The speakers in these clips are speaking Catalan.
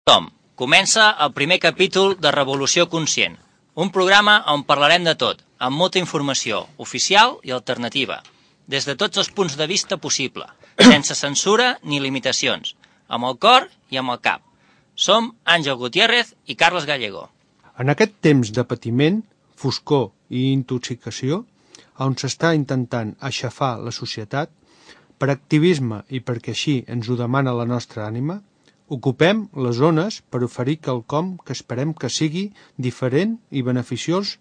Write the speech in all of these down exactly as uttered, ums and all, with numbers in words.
Tom, comença el primer capítol de Revolució Conscient, un programa on parlarem de tot, amb molta informació, oficial i alternativa, des de tots els punts de vista possible, sense censura ni limitacions, amb el cor i amb el cap. Som Àngel Gutiérrez i Carles Gallego. En aquest temps de patiment, foscor i intoxicació, on s'està intentant aixafar la societat, per activisme i perquè així ens ho demana la nostra ànima, ocupem les zones per oferir quelcom que esperem que sigui diferent i beneficiós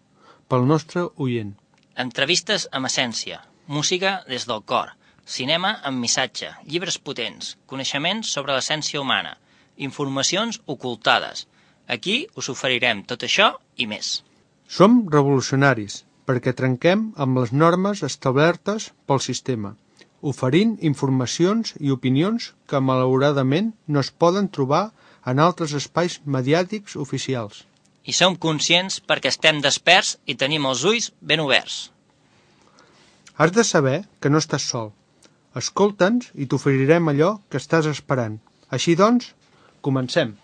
pel nostre oient. Entrevistes amb essència, música des del cor, cinema amb missatge, llibres potents, coneixements sobre l'essència humana, informacions ocultades. Aquí us oferirem tot això i més. Som revolucionaris perquè trenquem amb les normes establertes pel sistema, oferint informacions i opinions que malauradament no es poden trobar en altres espais mediàtics oficials. I som conscients perquè estem desperts i tenim els ulls ben oberts. Has de saber que no estàs sol. Escolta'ns i t'oferirem allò que estàs esperant. Així doncs, comencem.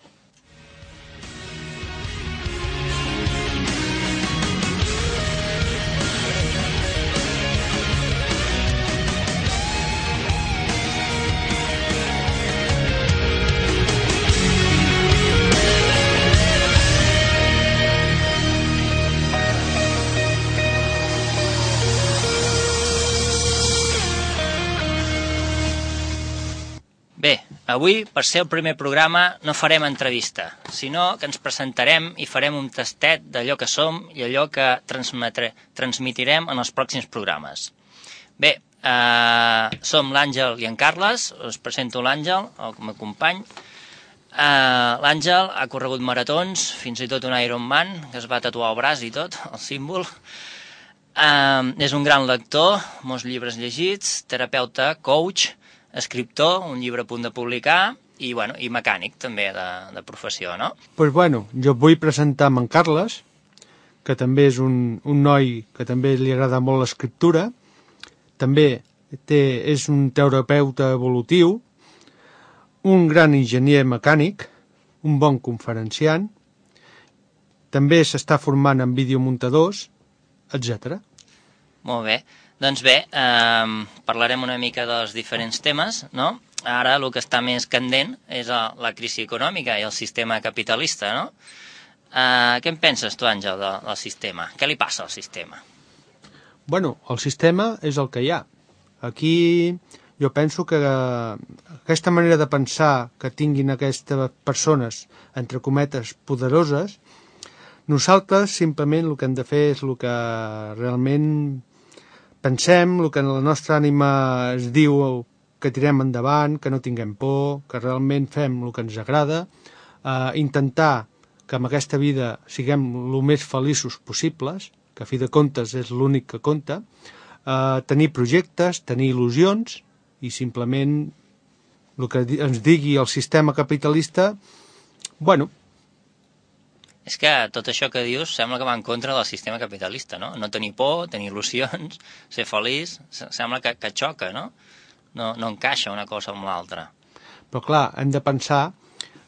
Bé, avui, per ser el primer programa, no farem entrevista, sinó que ens presentarem i farem un tastet d'allò que som i allò que transmetrem en els pròxims programes. Bé, eh, som l'Àngel i en Carles, us presento l'Àngel, el meu company. Eh, L'Àngel ha corregut maratons, fins i tot un Ironman, que es va tatuar al braç i tot, el símbol. Eh, és un gran lector, molts llibres llegits, terapeuta, coach, escriptor, un llibre a punt de publicar i, bueno, i mecànic també de, de professió, no? Doncs pues bueno, jo vull presentar en Carles, que també és un, un noi que també li agrada molt l'escriptura, també té, és un terapeuta evolutiu, un gran enginyer mecànic, un bon conferenciant, també s'està formant en videomuntadors, etcètera. Molt bé. Doncs bé, eh, parlarem una mica dels diferents temes, no? Ara el que està més candent és la crisi econòmica i el sistema capitalista, no? Eh, què en penses tu, Àngel, del, del sistema? Què li passa al sistema? Bueno, el sistema és el que hi ha. Aquí jo penso que aquesta manera de pensar que tinguin aquestes persones, entre cometes, poderoses, nosaltres simplement el que hem de fer és el que realment pensem, el que la nostra ànima es diu que tirem endavant, que no tinguem por, que realment fem el que ens agrada, eh, intentar que en aquesta vida siguem el més feliços possibles, que a fi de comptes és l'únic que compta, eh, tenir projectes, tenir il·lusions i simplement el que ens digui el sistema capitalista, bueno, és que tot això que dius sembla que va en contra del sistema capitalista, no? No tenir por, tenir il·lusions, ser feliç, sembla que, que xoca, no? no? No encaixa una cosa amb l'altra. Però clar, hem de pensar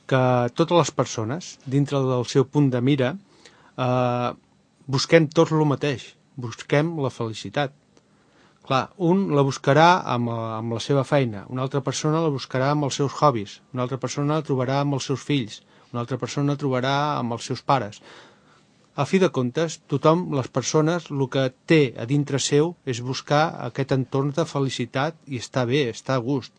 que totes les persones, dintre del seu punt de mira, eh, busquem tot el mateix, busquem la felicitat. Clar, un la buscarà amb, amb la seva feina, una altra persona la buscarà amb els seus hobbies, una altra persona la trobarà amb els seus fills, una altra persona trobarà amb els seus pares. A fi de comptes, tothom, les persones, el que té a dintre seu és buscar aquest entorn de felicitat i estar bé, estar a gust.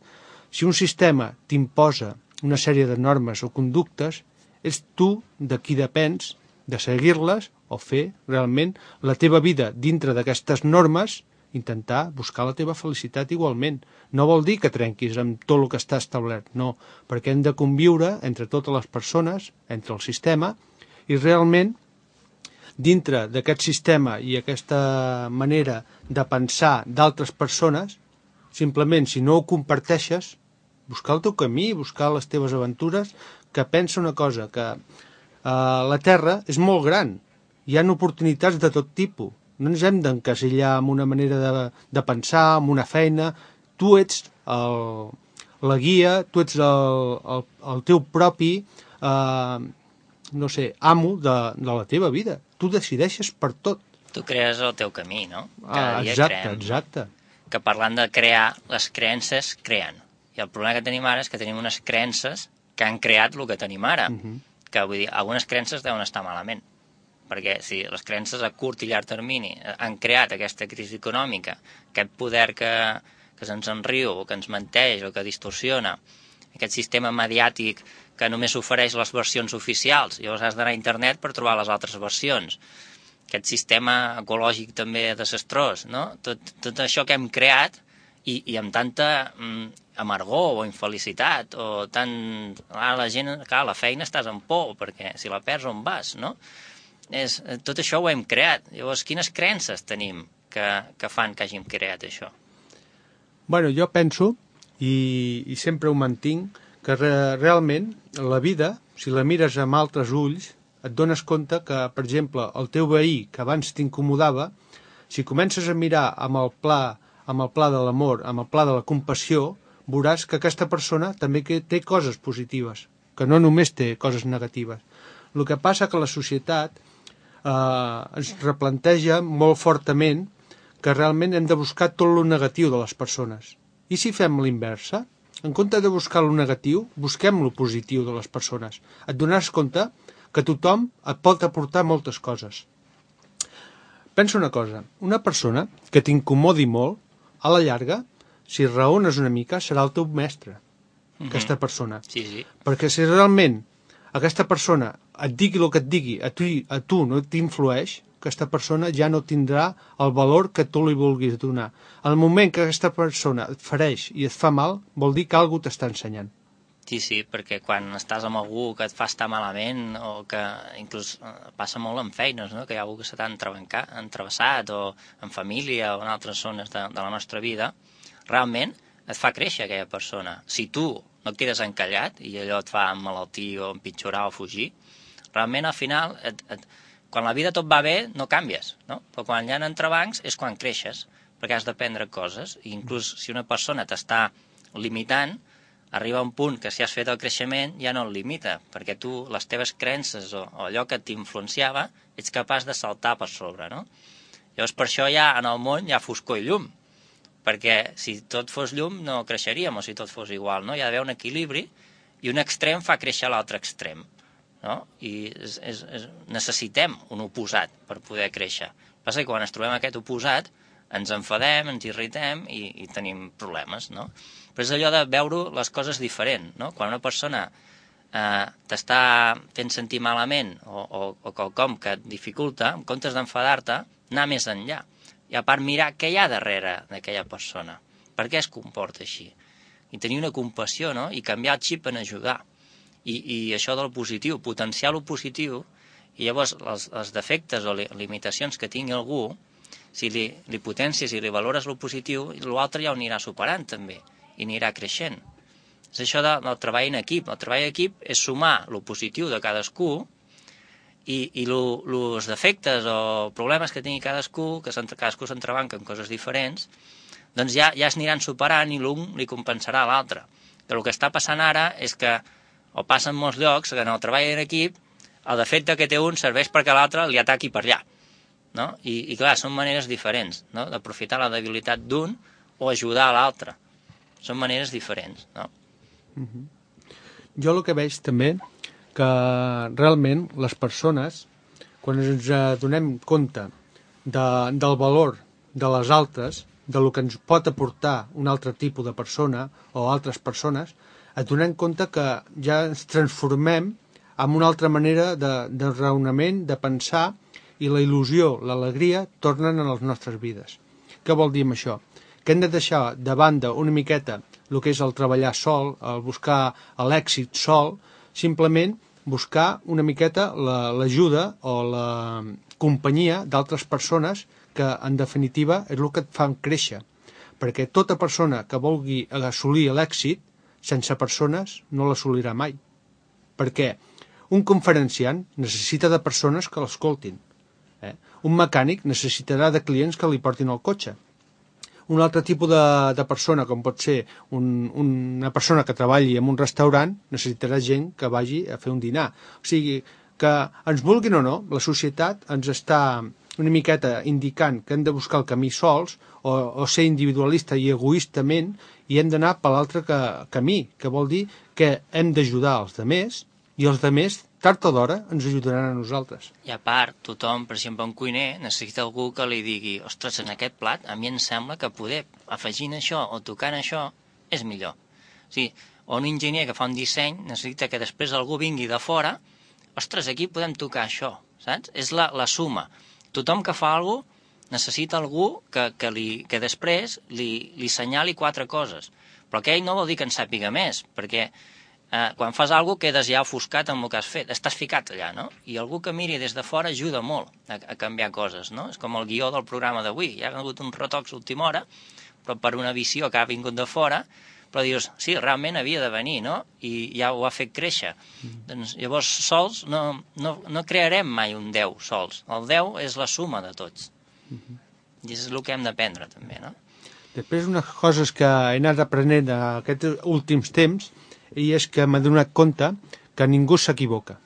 Si un sistema t'imposa una sèrie de normes o conductes, és tu de qui depens de seguir-les o fer realment la teva vida dintre d'aquestes normes, intentar buscar la teva felicitat igualment. No vol dir que trenquis amb tot el que està establert, no, perquè hem de conviure entre totes les persones, entre el sistema, i realment, dintre d'aquest sistema i aquesta manera de pensar d'altres persones, simplement, si no ho comparteixes, buscar el teu camí, buscar les teves aventures, que pensa una cosa, que eh, la Terra és molt gran, hi ha oportunitats de tot tipus, no ens hem d'encasillar amb una manera de, de pensar, amb una feina. Tu ets el, la guia, tu ets el, el, el teu propi eh, no sé, amo de, de la teva vida. Tu decideixes per tot. Tu crees el teu camí, no? Cada Ah, dia exacte, creem, exacte. No? Que parlant de crear, les creences creen. I el problema que tenim ara és que tenim unes creences que han creat el que tenim ara. Uh -huh. Que vull dir, algunes creences deuen estar malament. Perquè si les creences a curt i llarg termini han creat aquesta crisi econòmica, aquest poder que, que se'ns enriu, o que ens menteix, o que distorsiona, aquest sistema mediàtic que només ofereix les versions oficials, llavors has d'anar a internet per trobar les altres versions, aquest sistema ecològic també desastrós, no? Tot, tot això que hem creat i, i amb tanta mm, amargor o infelicitat, o tant... Ah, la gent, clar, la feina estàs en por, perquè si la perds on vas, no? És, tot això ho hem creat. Llavors, quines creences tenim que, que fan que hàgim creat això? Bueno, jo penso, i, i sempre ho mantinc, que re, realment la vida, si la mires amb altres ulls, et dones compte que, per exemple, el teu veí, que abans t'incomodava, si comences a mirar amb el pla, amb el pla de l'amor, amb el pla de la compassió, veuràs que aquesta persona també té coses positives, que no només té coses negatives. El que passa que la societat eh, ens replanteja molt fortament que realment hem de buscar tot lo negatiu de les persones. I si fem l'inversa? En compte de buscar lo negatiu, busquem lo positiu de les persones. Et donaràs compte que tothom et pot aportar moltes coses. Pensa una cosa, una persona que t'incomodi molt, a la llarga, si raones una mica, serà el teu mestre, mm-hmm. aquesta persona. Sí, sí. Perquè si realment aquesta persona et digui el que et digui, a tu, a tu no t'influeix, aquesta persona ja no tindrà el valor que tu li vulguis donar. Al moment que aquesta persona et fereix i et fa mal, vol dir que algú t'està ensenyant. Sí, sí, perquè quan estàs amb algú que et fa estar malament, o que inclús passa molt en feines, no? Que hi ha algú que se t'ha entrevessat, o en família, o en altres zones de, de la nostra vida, realment et fa créixer aquella persona. Si tu no et quedes encallat i allò et fa emmalaltir o empitjorar o fugir, realment al final, et, et, quan la vida tot va bé, no canvies, no? Però quan hi ha entrebancs és quan creixes, perquè has d'aprendre coses, i inclús si una persona t'està limitant, arriba un punt que si has fet el creixement ja no el limita, perquè tu, les teves creences o, o allò que t'influenciava, ets capaç de saltar per sobre, no? Llavors per això ja en el món hi ha foscor i llum, perquè si tot fos llum no creixeríem, o si tot fos igual, no? Hi ha d'haver un equilibri, i un extrem fa créixer l'altre extrem, no? I és, és, és, necessitem un oposat per poder créixer. Passa que quan ens trobem aquest oposat ens enfadem, ens irritem i, i tenim problemes, no? Però és allò de veure les coses diferent, no? Quan una persona eh, t'està fent sentir malament o, o, o quelcom que et dificulta, en comptes d'enfadar-te, anar més enllà. I a part mirar què hi ha darrere d'aquella persona, per què es comporta així. I tenir una compassió, no? I canviar el xip en ajudar. I, i això del positiu, potenciar el positiu, i llavors els, els defectes o li, limitacions que tingui algú, si li, li potencies i li valores el positiu, l'altre ja ho anirà superant també, i anirà creixent. És això de, del treball en equip. El treball en equip és sumar el positiu de cadascú i, i els defectes o problemes que tingui cadascú, que cadascú s'entrebanca en coses diferents, doncs ja, ja es aniran superant i l'un li compensarà a l'altre. Però el que està passant ara és que, o passa en molts llocs, que en el treball en equip el defecte que té un serveix perquè l'altre li ataqui per allà. No? I, i clar, són maneres diferents, no? D'aprofitar la debilitat d'un o ajudar a l'altre. Són maneres diferents, no? Uh-huh. Jo el que veig també que realment les persones, quan ens donem compte de, del valor de les altres, de lo que ens pot aportar un altre tipus de persona o altres persones, et donem compte que ja ens transformem en una altra manera de, de raonament, de pensar, i la il·lusió, l'alegria, tornen a les nostres vides. Què vol dir amb això? Que hem de deixar de banda una miqueta el que és el treballar sol, el buscar l'èxit sol, simplement buscar una miqueta l'ajuda o la companyia d'altres persones que, en definitiva, és el que et fan créixer. Perquè tota persona que vulgui assolir l'èxit, sense persones, no l'assolirà mai. Perquè un conferenciant necessita de persones que l'escoltin. Eh? Un mecànic necessitarà de clients que li portin el cotxe. un altre tipus de, de persona, com pot ser un, una persona que treballi en un restaurant, necessitarà gent que vagi a fer un dinar. O sigui, que ens vulguin o no, la societat ens està una miqueta indicant que hem de buscar el camí sols o, o ser individualista i egoistament i hem d'anar per l'altre que, camí, que vol dir que hem d'ajudar els demés i els demés, tard o d'hora, ens ajudaran a nosaltres. I a part, tothom, per exemple, un cuiner, necessita algú que li digui ostres, en aquest plat a mi em sembla que poder afegint això o tocant això és millor. O sigui, o un enginyer que fa un disseny necessita que després algú vingui de fora, ostres, aquí podem tocar això, saps? És la, la suma. Tothom que fa alguna cosa necessita algú que, que, li, que després li, li senyali quatre coses. Però aquell no vol dir que en sàpiga més, perquè eh, quan fas alguna cosa quedes ja ofuscat amb el que has fet, estàs ficat allà, no? I algú que miri des de fora ajuda molt a, a canviar coses, no? És com el guió del programa d'avui, hi ha hagut uns retocs a última hora, però per una visió que ha vingut de fora, però dius, sí, realment havia de venir, no? I ja ho ha fet créixer. Mm. Doncs llavors, sols, no, no, no crearem mai un deu sols. El deu és la suma de tots. Mm-hmm. I és el que hem d'aprendre, també, no? Després, unes coses que he anat aprenent aquests últims temps, i és que m'he donat compte que ningú s'equivoca.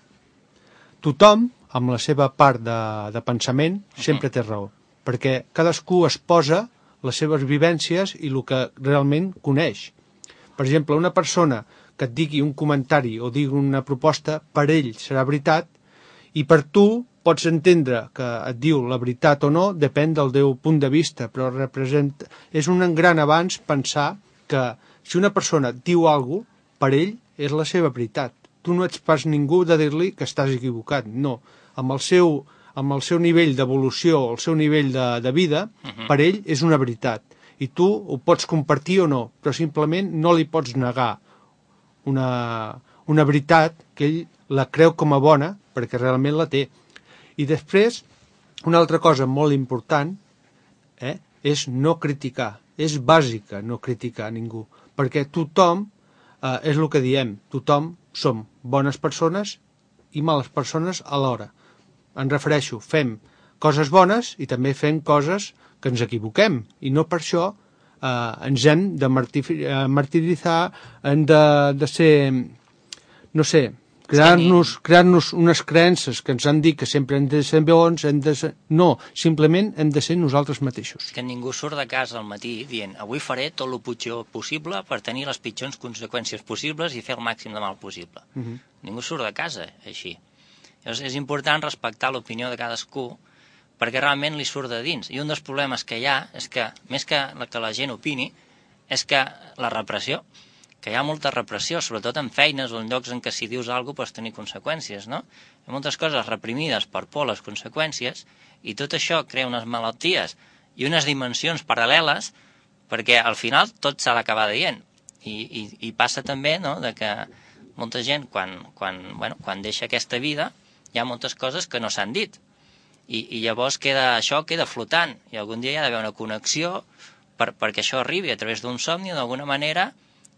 Tothom, amb la seva part de, de pensament, sempre té raó, perquè cadascú es posa les seves vivències i el que realment coneix. Per exemple, una persona que et digui un comentari o digui una proposta, per ell serà veritat, i per tu pots entendre que et diu la veritat o no, depèn del teu punt de vista, però representa... és un gran avanç pensar que si una persona et diu alguna cosa, per ell és la seva veritat. Tu no ets pas ningú de dir-li que estàs equivocat, no. Amb el seu, amb el seu nivell d'evolució, el seu nivell de, de vida, uh-huh. per ell és una veritat. I tu ho pots compartir o no, però simplement no li pots negar una, una veritat que ell la creu com a bona, perquè realment la té. I després, una altra cosa molt important eh, és no criticar. És bàsica no criticar a ningú, perquè tothom, eh, és el que diem, tothom som bones persones i males persones alhora. Em refereixo, fem coses bones i també fem coses que ens equivoquem, i no per això eh, ens hem de martiritzar, hem de, de ser, no sé, crear-nos crear-nos unes creences que ens han dit que sempre hem de ser bons, hem de ser... no, simplement hem de ser nosaltres mateixos. Que ningú surt de casa al matí dient avui faré tot el pitjor possible per tenir les pitjors conseqüències possibles i fer el màxim de mal possible. Uh-huh. Ningú surt de casa així. Llavors és important respectar l'opinió de cadascú perquè realment li surt de dins. I un dels problemes que hi ha és que, més que que la gent opini, és que la repressió, que hi ha molta repressió, sobretot en feines o en llocs en què si dius alguna cosa pots tenir conseqüències, no? Hi ha moltes coses reprimides per por a les conseqüències i tot això crea unes malalties i unes dimensions paral·leles perquè al final tot s'ha d'acabar dient. I, i, i passa també, no?, de que molta gent quan, quan, bueno, quan deixa aquesta vida hi ha moltes coses que no s'han dit. I, i llavors queda, això queda flotant i algun dia hi ha d'haver una connexió per, perquè això arribi a través d'un somni d'alguna manera.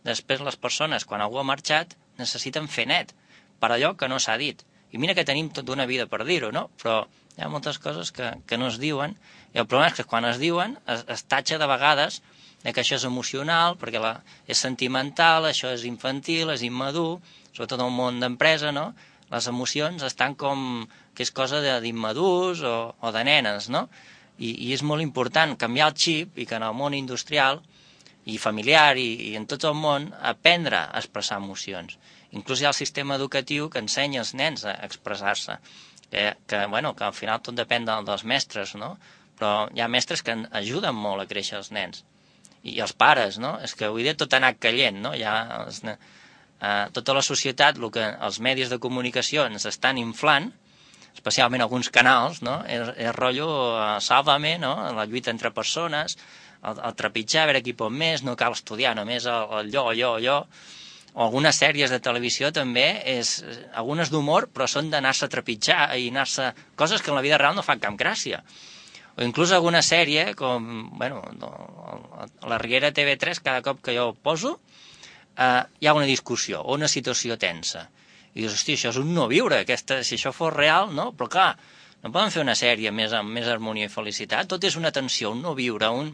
Després les persones, quan algú ha marxat, necessiten fer net per allò que no s'ha dit. I mira que tenim tota una vida per dir-ho, no? Però hi ha moltes coses que, que no es diuen, i el problema és que quan es diuen es, es tatxa de vegades de que això és emocional, perquè la, és sentimental, això és infantil, és immadur, sobretot en el món d'empresa, no? Les emocions estan com que és cosa d'immadurs o, o de nenes, no? I, I és molt important canviar el xip i que en el món industrial i familiar i, i en tot el món aprendre a expressar emocions. Inclús hi ha el sistema educatiu que ensenya als nens a expressar-se, que, que, bueno, que al final tot depèn de, dels mestres, no? Però hi ha mestres que ajuden molt a créixer els nens. I, i els pares, no? És que avui dia tot ha anat caient, no? Ja els, eh, tota la societat, el que els medis de comunicació ens estan inflant, especialment alguns canals, no? És, és rotllo uh, Sálvame, no? La lluita entre persones, el, el trepitjar, a veure qui pot més, no cal estudiar només el, el allò, allò, allò. O algunes sèries de televisió també, és algunes d'humor, però són d'anar-se a trepitjar i anar-se... coses que en la vida real no fan cap gràcia. O inclús alguna sèrie, com, bueno, la Riera T V tres, cada cop que jo ho poso, eh, hi ha una discussió o una situació tensa. I dius, hosti, això és un no viure, aquesta, si això fos real, no? Però clar, No poden fer una sèrie més amb més harmonia i felicitat? Tot és una tensió, un no viure, un...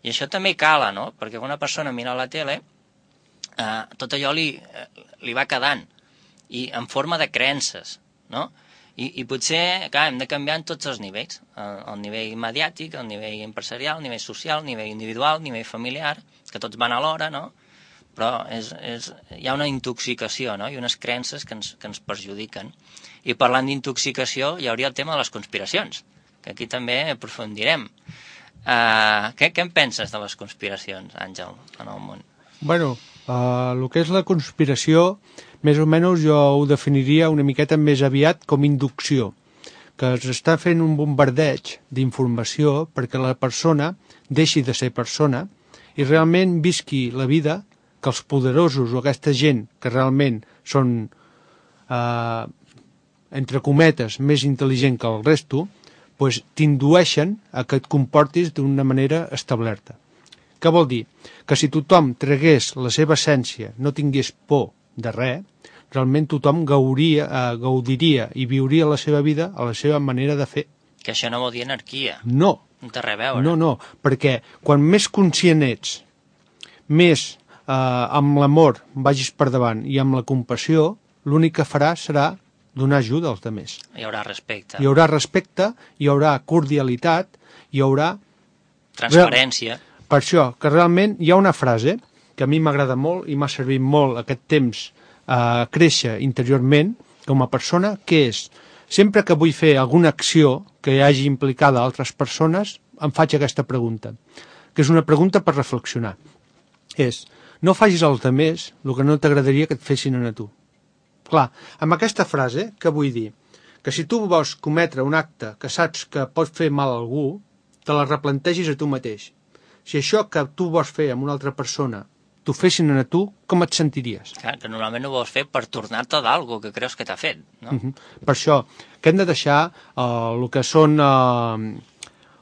I això també cala, no? Perquè quan una persona mira la tele, eh, tot allò li, li va quedant, i en forma de creences, no? I, i potser, clar, hem de canviar en tots els nivells, el, el nivell mediàtic, el nivell empresarial, el nivell social, el nivell individual, el nivell familiar, que tots van alhora, no? Però és, és, hi ha una intoxicació, no? I unes creences que ens, que ens perjudiquen. I parlant d'intoxicació, hi hauria el tema de les conspiracions, que aquí també aprofundirem. Uh, què, què en penses de les conspiracions, Àngel, en el món? Bueno, uh, el que és la conspiració, més o menys jo ho definiria una miqueta més aviat com inducció, que es està fent un bombardeig d'informació perquè la persona deixi de ser persona i realment visqui la vida que els poderosos o aquesta gent que realment són, eh, entre cometes, més intel·ligent que el resto, pues, t'indueixen a que et comportis d'una manera establerta. Què vol dir? Que si tothom tragués la seva essència, no tingués por de res, realment tothom gauria, eh, gaudiria i viuria la seva vida a la seva manera de fer. Que això no vol dir anarquia. No. No té res a veure. No, no, perquè quan més conscient ets, més eh, amb l'amor vagis per davant i amb la compassió, l'únic que faràs serà donar ajuda als altres. Hi haurà respecte. Hi haurà respecte, hi haurà cordialitat, hi haurà... Transparència. Per això, que realment hi ha una frase que a mi m'agrada molt i m'ha servit molt aquest temps a créixer interiorment com a persona, que és, sempre que vull fer alguna acció que hi hagi implicada altres persones, em faig aquesta pregunta, que és una pregunta per reflexionar. És, no facis als altres el que no t'agradaria que et fessin a tu. Clar, amb aquesta frase, què vull dir? Que si tu vols cometre un acte que saps que pot fer mal a algú, te la replantegis a tu mateix. Si això que tu vols fer amb una altra persona t'ho fessin a tu, com et sentiries? Clar, que normalment ho vols fer per tornar-te d'algo que creus que t'ha fet, no? Uh -huh. Per això, que hem de deixar eh, el que són eh,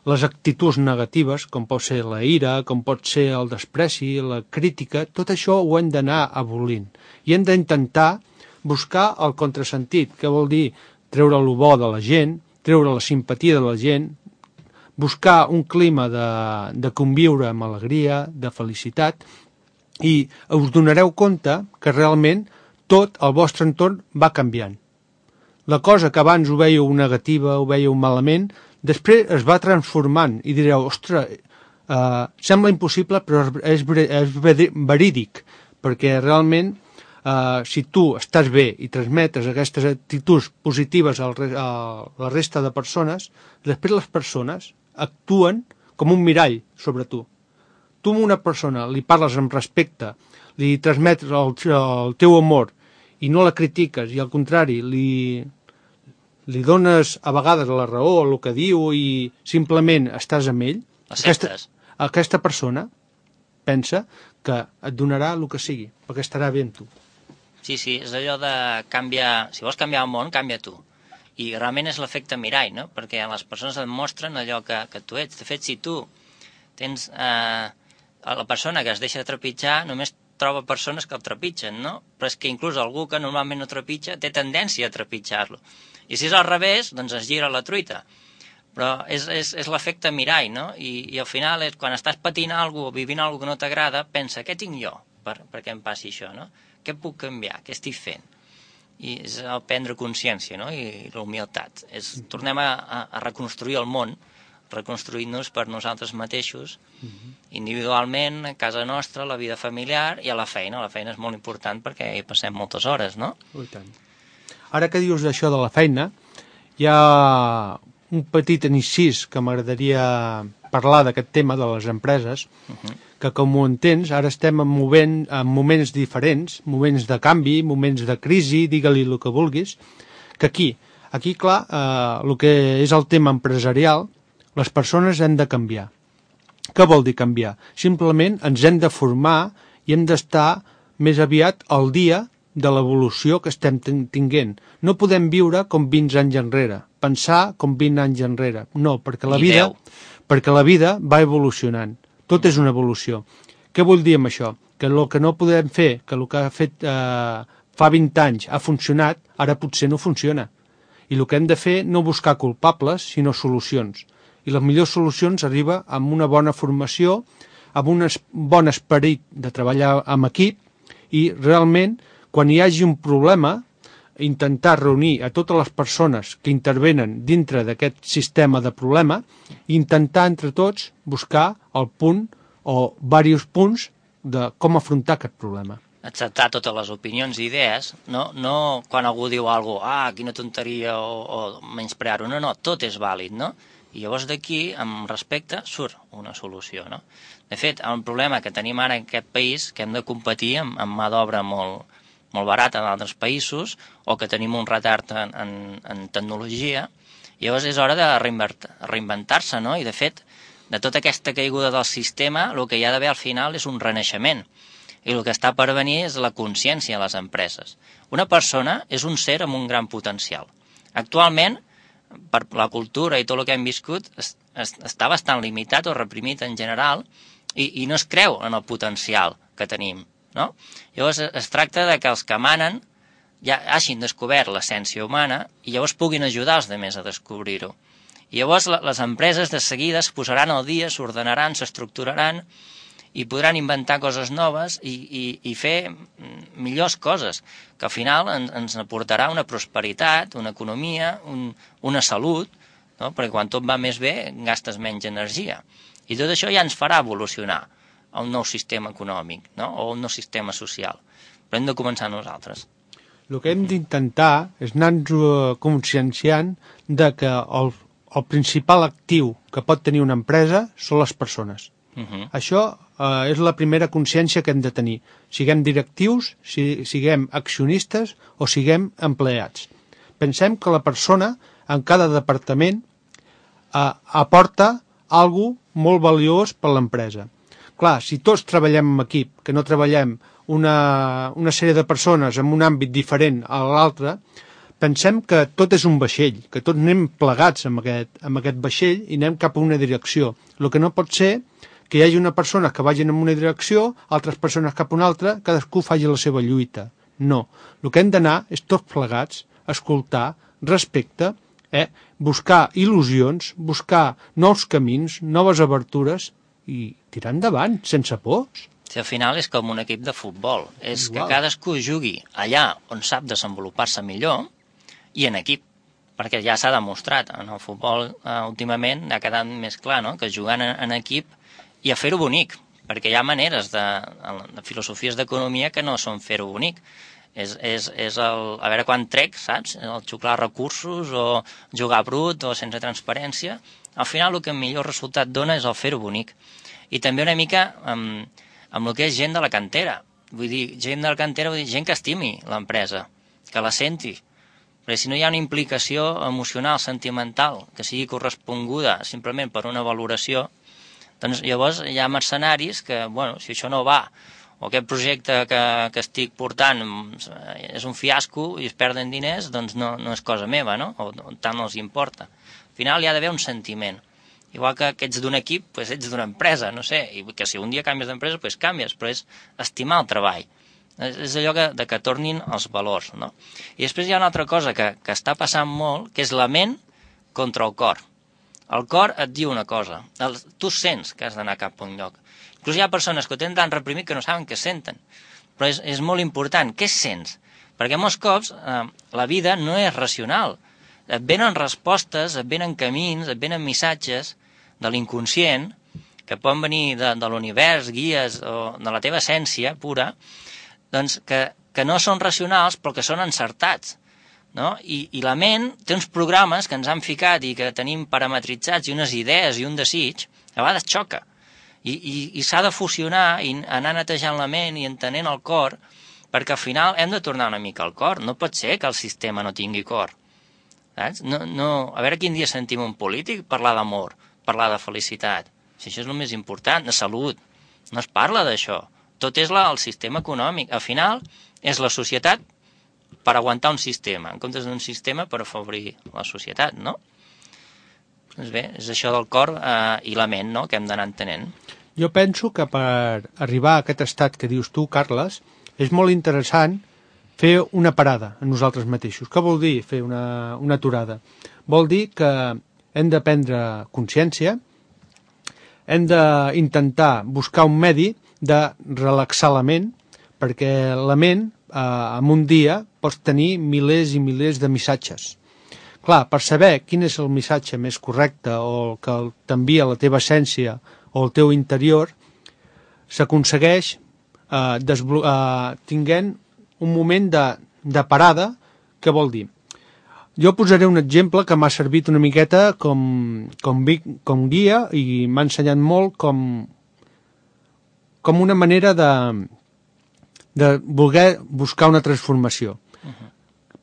les actituds negatives, com pot ser la ira, com pot ser el despreci, la crítica, tot això ho hem d'anar abolint. I hem d'intentar buscar el contrasentit, que vol dir treure el bo de la gent, treure la simpatia de la gent, buscar un clima de, de conviure amb alegria, de felicitat, i us donareu compte que realment tot el vostre entorn va canviant. La cosa que abans ho veieu negativa, ho veieu malament, després es va transformant i direu, ostres, eh, sembla impossible però és, és verídic, perquè realment eh, si tu estàs bé i transmetes aquestes actituds positives al, a la resta de persones, després les persones actuen com un mirall sobre tu. Tu a una persona li parles amb respecte, li transmets el, el teu amor i no la critiques i al contrari li, li dones a vegades la raó el que diu i simplement estàs amb ell, aquesta, aquesta persona pensa que et donarà el que sigui, perquè estarà bé amb tu. Sí, sí, és allò de canviar, si vols canviar el món, canvia tu. I realment és l'efecte mirall, no? Perquè les persones et mostren allò que, que tu ets. De fet, si tu tens... Eh, la persona que es deixa trepitjar només troba persones que el trepitgen, no? Però és que inclús algú que normalment no trepitja té tendència a trepitjar-lo. I si és al revés, doncs es gira la truita. Però és, és, és l'efecte mirall, no? I, i al final, és, quan estàs patint alguna cosa o vivint alguna cosa que no t'agrada, pensa, què tinc jo per, perquè em passi això, no? Què puc canviar? Què estic fent? I és el prendre consciència, no? I la humilitat. És, tornem a, a, a reconstruir el món, reconstruint-nos per nosaltres mateixos, uh-huh. individualment, a casa nostra, a la vida familiar i a la feina. La feina és molt important perquè hi passem moltes hores, no? Oh, i tant. Ara que dius d'això de la feina, hi ha un petit incís que m'agradaria parlar d'aquest tema de les empreses, uh-huh. que com ho entens, ara estem en, movent, en moments diferents, moments de canvi, moments de crisi, digue-li el que vulguis, que aquí, aquí clar, eh, el que és el tema empresarial, les persones hem de canviar. Què vol dir canviar? Simplement ens hem de formar i hem d'estar més aviat al dia de l'evolució que estem tinguent. No podem viure com vint anys enrere, pensar com vint anys enrere. No, perquè la vida, perquè la vida va evolucionant. Tot és una evolució. Què vull dir amb això? Que el que no podem fer, que el que ha fet eh, fa vint anys ha funcionat, ara potser no funciona. I el que hem de fer no buscar culpables, sinó solucions. I les millors solucions arriba amb una bona formació, amb un bon esperit de treballar amb equip i realment, quan hi hagi un problema, intentar reunir a totes les persones que intervenen dintre d'aquest sistema de problema i intentar entre tots buscar el punt o diversos punts de com afrontar aquest problema. Acceptar totes les opinions i idees, no, no quan algú diu alguna cosa, ah, quina tonteria, o, o menysprear-ho, no, no, tot és vàlid, no? I llavors d'aquí, amb respecte, surt una solució, no? De fet, el problema que tenim ara en aquest país, que hem de competir amb, amb mà d'obra molt, molt barata d'altres països, o que tenim un retard en, en, en tecnologia, llavors és hora de reinventar-se, no? I de fet, de tota aquesta caiguda del sistema, el que hi ha d'haver al final és un renaixement. I el que està per venir és la consciència a les empreses. Una persona és un ser amb un gran potencial. Actualment, per la cultura i tot el que hem viscut, es, es, està bastant limitat o reprimit en general i, i no es creu en el potencial que tenim, no? Llavors es tracta de que els que manen ja hagin descobert l'essència humana i llavors puguin ajudar els altres a descobrir-ho. I llavors les empreses de seguida es posaran al dia, s'ordenaran, s'estructuraran i podran inventar coses noves i, i, i fer millors coses, que al final ens, ens aportarà una prosperitat, una economia, un, una salut, no? Perquè quan tot va més bé gastes menys energia. I tot això ja ens farà evolucionar a un nou sistema econòmic, no? O un nou sistema social. Però hem de començar nosaltres. El que hem d'intentar és anar-nos conscienciant de que el, el principal actiu que pot tenir una empresa són les persones. Uh-huh. Això eh, és la primera consciència que hem de tenir. Siguem directius, si, siguem accionistes o siguem empleats. Pensem que la persona en cada departament eh, aporta alguna cosa molt valiós per l'empresa. Clar, si tots treballem en equip, que no treballem una, una sèrie de persones en un àmbit diferent a l'altre, pensem que tot és un vaixell, que tots anem plegats amb aquest, amb aquest vaixell i anem cap a una direcció. El que no pot ser que hi hagi una persona que vagin en una direcció, altres persones cap a una altra, cadascú faci la seva lluita. No. El que hem d'anar és tots plegats, escoltar, respecte, eh, buscar il·lusions, buscar nous camins, noves obertures i tirar endavant, sense pors. Si al final és com un equip de futbol, és Igual. Que cadascú jugui allà on sap desenvolupar-se millor i en equip, perquè ja s'ha demostrat en el futbol eh, últimament ha quedat més clar, no? Que jugant en, en equip i a fer-ho bonic, perquè hi ha maneres de, de filosofies d'economia que no són fer-ho bonic. És, és, és el, a veure quan trec, saps? El xuclar recursos o jugar brut o sense transparència. Al final el que millor resultat dona és el fer-ho bonic. I també una mica amb, amb el que és gent de la cantera. Vull dir, gent de la cantera vull dir gent que estimi l'empresa, que la senti. Perquè si no hi ha una implicació emocional, sentimental, que sigui corresponguda simplement per una valoració, doncs llavors hi ha mercenaris que, bueno, si això no va, o aquest projecte que, que estic portant és un fiasco i es perden diners, doncs no, no és cosa meva, no? O, o tant no els importa. Al final hi ha d'haver un sentiment. Igual que, que ets d'un equip, doncs ets d'una empresa, no sé, i que si un dia canvies d'empresa, doncs canvies, però és estimar el treball. És, és allò que, de que tornin els valors, no? I després hi ha una altra cosa que, que està passant molt, que és la ment contra el cor. El cor et diu una cosa, el, tu sents que has d'anar cap a un lloc. Inclús hi ha persones que ho tenen tan reprimit que no saben què senten. Però és, és molt important. Què sents? Perquè molts cops eh, la vida no és racional. Et venen respostes, et venen camins, et venen missatges de l'inconscient que poden venir de, de l'univers, guies o de la teva essència pura, doncs que, que no són racionals però que són encertats. No? I, I la ment té uns programes que ens han ficat i que tenim parametritzats i unes idees i un desig, a vegades xoca. I, i, i s'ha de fusionar i anar netejant la ment i entenent el cor, perquè al final hem de tornar una mica al cor. No pot ser que el sistema no tingui cor. Saps? No, no, a veure quin dia sentim un polític parlar d'amor, parlar de felicitat. Si això és el més important, de salut. No es parla d'això. Tot és la, el sistema econòmic. Al final és la societat per aguantar un sistema, en comptes d'un sistema per afavorir la societat, no? Doncs bé, és això del cor eh, i la ment, no?, que hem d'anar entenent. Jo penso que per arribar a aquest estat que dius tu, Carles, és molt interessant fer una parada a nosaltres mateixos. Què vol dir fer una, una aturada? Vol dir que hem de prendre consciència, hem d'intentar buscar un medi de relaxar la ment, perquè la ment, eh, en un dia, pots tenir milers i milers de missatges. Clar, per saber quin és el missatge més correcte o el que t'envia la teva essència o el teu interior, s'aconsegueix eh, eh, tinguent un moment de, de parada. Què vol dir? Jo posaré un exemple que m'ha servit una miqueta com, com, com guia i m'ha ensenyat molt com, com una manera de, de voler buscar una transformació. Uh-huh.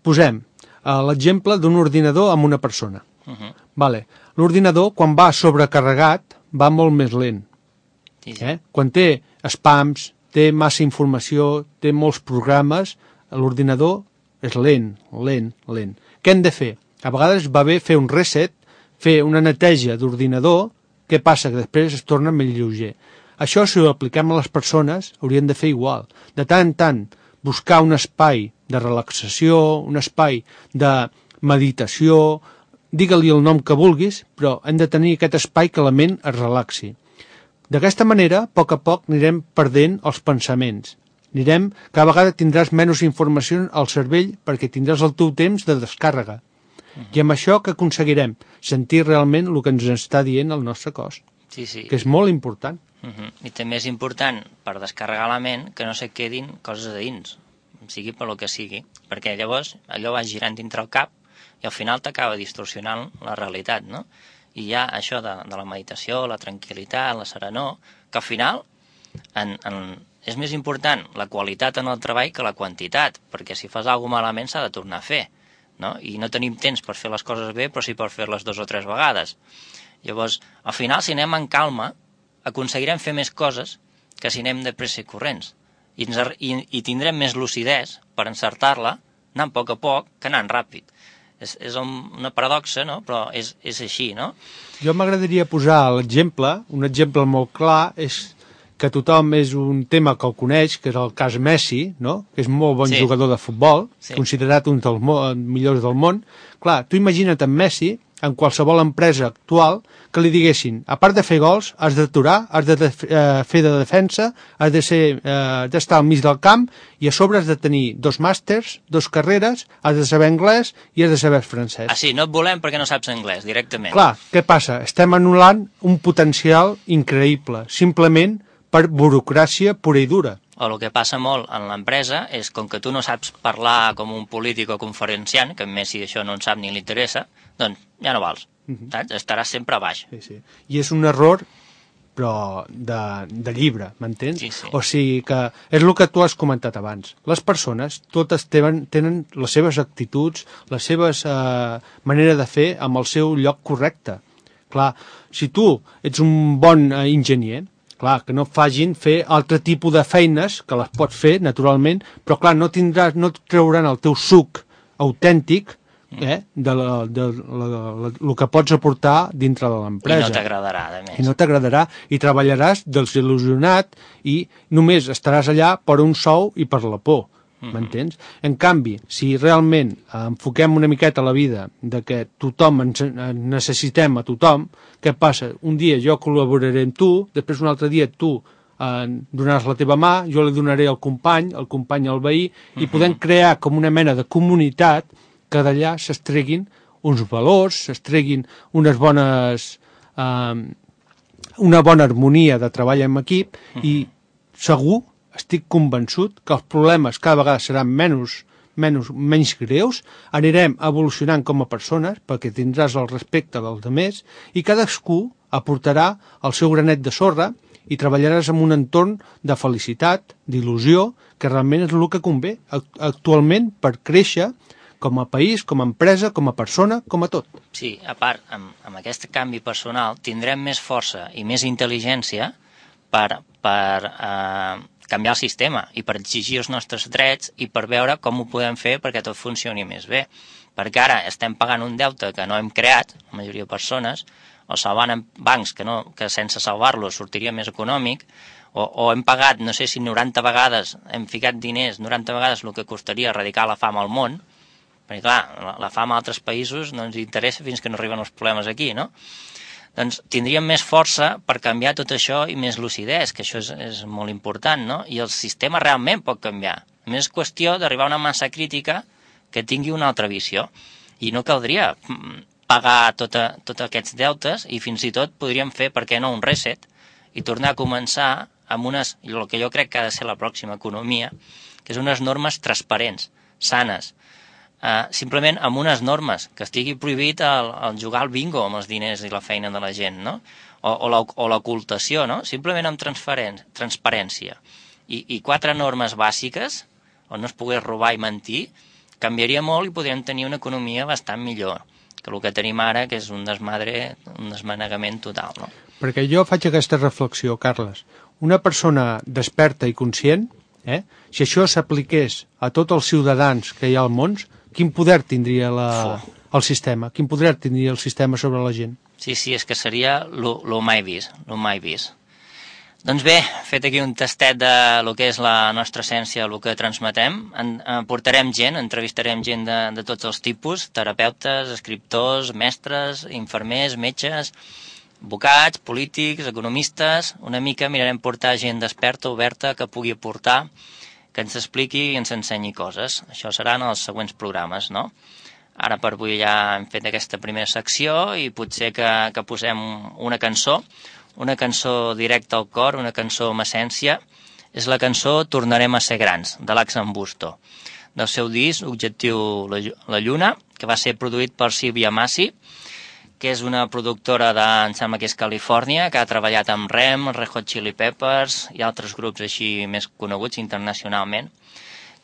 Posem uh, l'exemple d'un ordinador amb una persona. Uh-huh. Vale. L'ordinador, quan va sobrecarregat, va molt més lent. Sí, sí. Eh? Quan té spams, té massa informació, té molts programes, l'ordinador és lent, lent, lent. Què hem de fer? A vegades va bé fer un reset, fer una neteja d'ordinador. Què passa? Que després es torna més lleuger. Això, si ho apliquem a les persones, haurien de fer igual. De tant en tant, buscar un espai de relaxació, un espai de meditació, digue-li el nom que vulguis, però hem de tenir aquest espai que la ment es relaxi. D'aquesta manera, a poc a poc, anirem perdent els pensaments. Anirem, cada vegada tindràs menys informació al cervell perquè tindràs el teu temps de descàrrega. Uh-huh. I amb això que aconseguirem? Sentir realment el que ens està dient el nostre cos. Sí, sí. Que és molt important. Uh-huh. I també és important, per descarregar la ment, que no se quedin coses a dins, sigui per lo que sigui, perquè llavors allò va girant dintre el cap i al final t'acaba distorsionant la realitat, no? I hi ha això de, de la meditació, la tranquil·litat, la serenor, que al final en, en, és més important la qualitat en el treball que la quantitat, perquè si fas alguna cosa malament s'ha de tornar a fer, no? I no tenim temps per fer les coses bé, però sí per fer-les dos o tres vegades. Llavors, al final, si anem en calma, aconseguirem fer més coses que si anem de pressa i corrents. I, ens, i, i tindrem més lucidesa per encertar-la, anant a poc a poc, que anant ràpid. És, és una paradoxa, no? Però és, és així, no? Jo m'agradaria posar l'exemple, un exemple molt clar, és que tothom és un tema que el coneix, que és el cas Messi, no? Que és molt bon sí. jugador de futbol, sí. considerat un dels millors del món. Clar, tu imagina't en Messi, en qualsevol empresa actual, que li diguessin, a part de fer gols, has d'aturar, has de eh, fer de defensa, has de ser, eh, d'estar al mig del camp, i a sobre has de tenir dos màsters, dos carreres, has de saber anglès i has de saber francès. Ah, sí, no et volem perquè no saps anglès, directament. Clar, què passa? Estem anul·lant un potencial increïble, simplement per burocràcia pura i dura. O el que passa molt en l'empresa és, com que tu no saps parlar com un polític o conferenciant, que a Messi això no en sap ni li interessa, doncs ja no vals. Uh-huh. Saps? Estaràs sempre a baix. Sí, sí. I és un error, però de, de llibre, m'entens? Sí, sí. O sigui que és el que tu has comentat abans. Les persones totes tenen, tenen les seves actituds, les seves eh, manera de fer amb el seu lloc correcte. Clar, si tu ets un bon eh, enginyer, clar, que no facin fer altre tipus de feines, que les pots fer, naturalment, però clar, no tindràs, no et trauran el teu suc autèntic, eh, de, la, de la, de la, el que pots aportar dintre de l'empresa. I no t'agradarà, a més. I no t'agradarà, i treballaràs desil·lusionat i només estaràs allà per un sou i per la por. M'entens? Mm-hmm. En canvi, si realment enfoquem una miqueta la vida de que tothom ens necessitem a tothom, què passa? Un dia jo col·laboraré amb tu, després un altre dia tu eh, donaràs la teva mà, jo li donaré al company, el company al veí, mm-hmm. i podem crear com una mena de comunitat que d'allà s'estreguin uns valors, s'estreguin unes bones... Eh, una bona harmonia de treball en equip, mm-hmm. i segur, estic convençut que els problemes cada vegada seran menys, menys, menys greus, anirem evolucionant com a persones perquè tindràs el respecte dels altres i cadascú aportarà el seu granet de sorra i treballaràs en un entorn de felicitat, d'il·lusió, que realment és el que convé actualment per créixer com a país, com a empresa, com a persona, com a tot. Sí, a part, amb, amb aquest canvi personal tindrem més força i més intel·ligència per... per eh, canviar el sistema i per exigir els nostres drets i per veure com ho podem fer perquè tot funcioni més bé. Perquè ara estem pagant un deute que no hem creat, la majoria de persones, o salvant bancs que, no, que sense salvar-los sortiria més econòmic, o, o hem pagat, no sé si noranta vegades, hem ficat diners, noranta vegades el que costaria erradicar la fam al món, perquè clar, la, la fam a altres països no ens interessa fins que no arriben els problemes aquí, no? Doncs tindríem més força per canviar tot això i més lucidesa, que això és, és molt important, no? I el sistema realment pot canviar. Només és qüestió d'arribar a una massa crítica que tingui una altra visió. I no caldria pagar tota, tots aquests deutes i fins i tot podríem fer, per què no, un reset i tornar a començar amb unes, el que jo crec que ha de ser la pròxima economia, que és unes normes transparents, sanes, Uh, simplement amb unes normes, que estigui prohibit el, el jugar al bingo amb els diners i la feina de la gent, no? O, o, la, o l'ocultació, no? Simplement amb transparència. I, I quatre normes bàsiques, on no es pogués robar i mentir, canviaria molt i podríem tenir una economia bastant millor que el que tenim ara, que és un desmadre, un desmanegament total, no? Perquè jo faig aquesta reflexió, Carles. Una persona desperta i conscient, eh, si això s'apliqués a tots els ciutadans que hi ha al món, quin poder tindria la, el sistema? Quin poder tindria el sistema sobre la gent? Sí, sí, és que seria lo mai vist, lo mai vist. Doncs bé, fet aquí un tastet de lo que és la nostra essència, el que transmetem, en, en portarem gent, entrevistarem gent de, de tots els tipus, terapeutes, escriptors, mestres, infermers, metges, advocats, polítics, economistes. Una mica mirarem portar gent desperta, oberta, que pugui aportar, que ens expliqui i ens ensenyi coses. Això seran els següents programes, no? Ara per avui ja hem fet aquesta primera secció i potser que, que posem una cançó, una cançó directa al cor, una cançó amb essència. És la cançó Tornarem a ser grans, de l'Axan Busto, del seu disc Objectiu la Lluna, que va ser produït per Sílvia Massi, que és una productora de, em sembla que és Califòrnia, que ha treballat amb Rem, Red Hot Chili Peppers i altres grups així més coneguts internacionalment,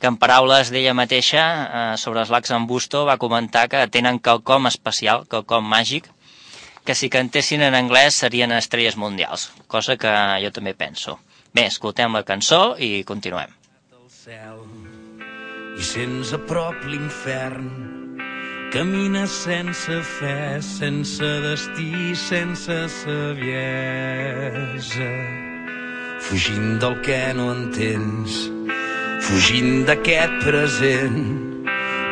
que en paraules d'ella mateixa, eh, sobre els l'Axan Busto, va comentar que tenen quelcom especial, quelcom màgic, que si cantessin en anglès serien estrelles mundials, cosa que jo també penso. Bé, escoltem la cançó i continuem. El cel, i sents a prop l'infern, camines sense fe, sense destí, sense saviesa, fugint del que no entens, fugint d'aquest present,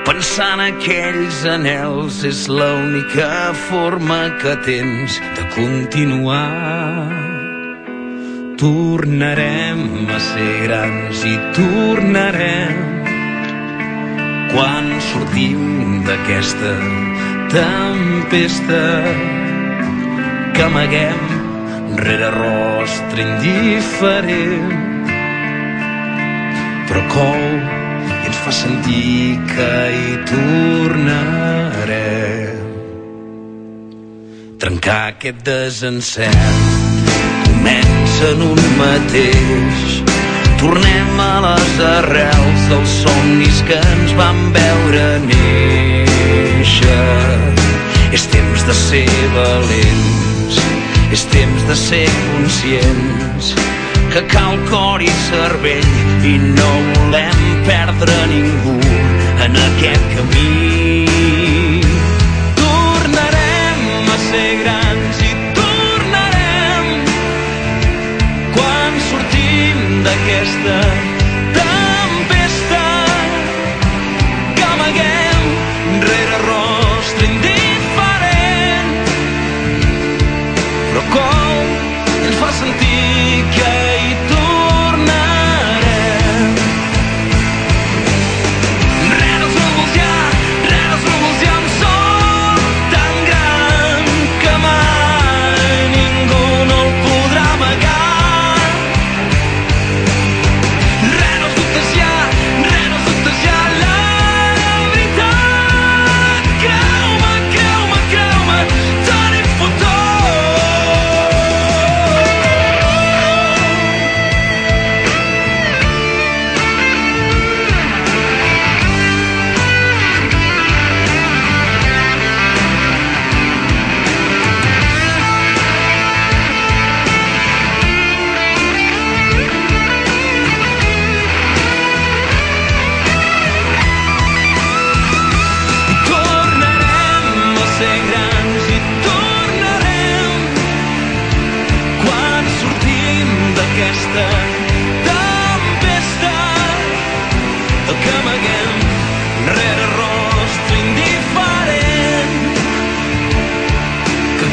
pensant aquells anhels, és l'única forma que tens de continuar. Tornarem a ser grans i tornarem quan sortim d'aquesta tempesta que amaguem rere rostre indiferent, però cou i ens fa sentir que hi tornarem. Trencar aquest desencert comença en un mateix. Tornem a les arrels dels somnis que ens van veure néixer. És temps de ser valents, és temps de ser conscients que cal cor i cervell i no volem perdre ningú en aquest camí. Tornarem a ser grans i tornarem quan sortim d'aquesta tempesta que amaguem rere rostre indiferent, però com ens fa sentir que hi tornarem. Rere els núvols hi ha,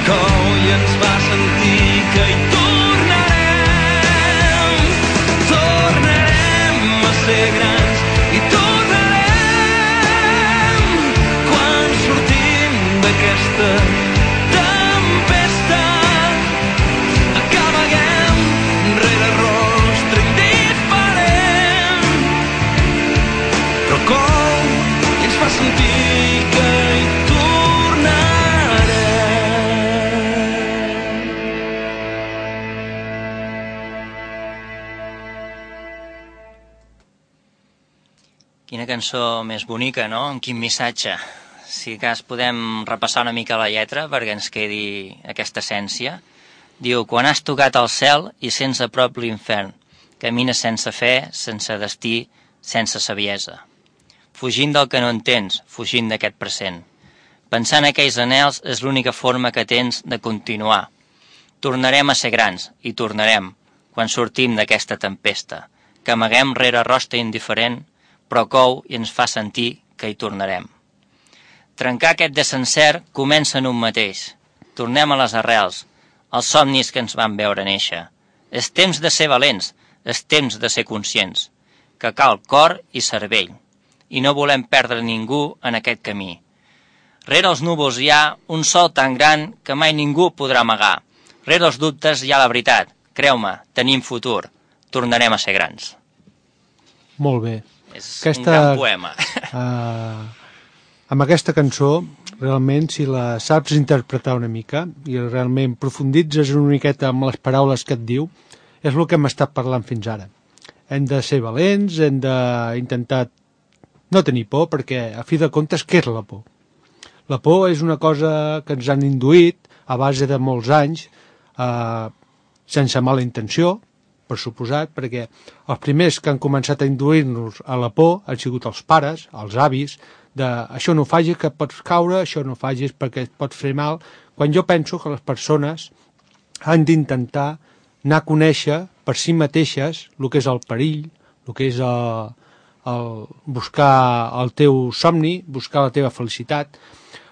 cou i ens fa sentir que hi tornarem. Tornarem a ser grans i tornarem quan sortim d'aquesta tempesta. Acabaguem rere rostre indiferent, però cou i ens fa sentir que hi Quina cançó més bonica, no? Amb quin missatge. Si cas podem repassar una mica la lletra perquè ens quedi aquesta essència. Diu, quan has tocat el cel i sents a prop l'infern, camines sense fe, sense destí, sense saviesa. Fugint del que no entens, fugint d'aquest present. Pensant en aquells anhels és l'única forma que tens de continuar. Tornarem a ser grans, i tornarem, quan sortim d'aquesta tempesta, que amaguem rere rostre indiferent, però cou i ens fa sentir que hi tornarem. Trencar aquest desencert comença en un mateix. Tornem a les arrels, als somnis que ens van veure néixer. És temps de ser valents, és temps de ser conscients, que cal cor i cervell, i no volem perdre ningú en aquest camí. Rere els núvols hi ha un sol tan gran que mai ningú podrà amagar. Rere els dubtes hi ha la veritat. Creu-me, tenim futur. Tornarem a ser grans. Molt bé. És aquesta, un gran poema. Uh, amb aquesta cançó, realment, si la saps interpretar una mica i realment profunditzes una miqueta amb les paraules que et diu, és el que hem estat parlant fins ara. Hem de ser valents, hem d'intentar no tenir por, perquè a fi de comptes, què és la por? La por és una cosa que ens han induït a base de molts anys, eh, sense mala intenció, per suposat, perquè els primers que han començat a induir-nos a la por han sigut els pares, els avis, de això no ho facis que pots caure, això no ho facis perquè et pots fer mal, quan jo penso que les persones han d'intentar anar a conèixer per si mateixes el que és el perill, el que és el, el buscar el teu somni, buscar la teva felicitat.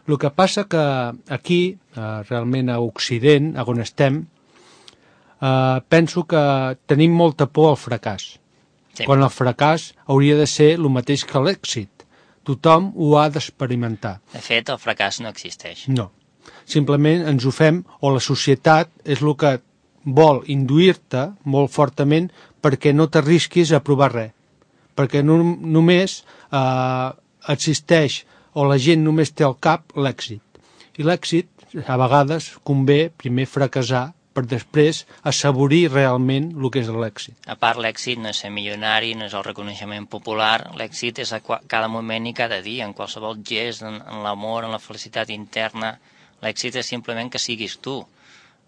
El que passa que aquí, eh, realment a Occident, on estem, Uh, penso que tenim molta por al fracàs, sí. Quan el fracàs hauria de ser el mateix que l'èxit. Tothom ho ha d'experimentar. De fet, el fracàs no existeix. No. Simplement ens ho fem, o la societat és el que vol induir-te molt fortament perquè no t'arrisquis a provar res. Perquè no, només uh, existeix, o la gent només té al cap l'èxit. I l'èxit, a vegades, convé primer fracassar per després assaborir realment el que és l'èxit. A part, l'èxit no és ser milionari, no és el reconeixement popular, l'èxit és a cada moment i cada dia, en qualsevol gest, en, en l'amor, en la felicitat interna. L'èxit és simplement que siguis tu,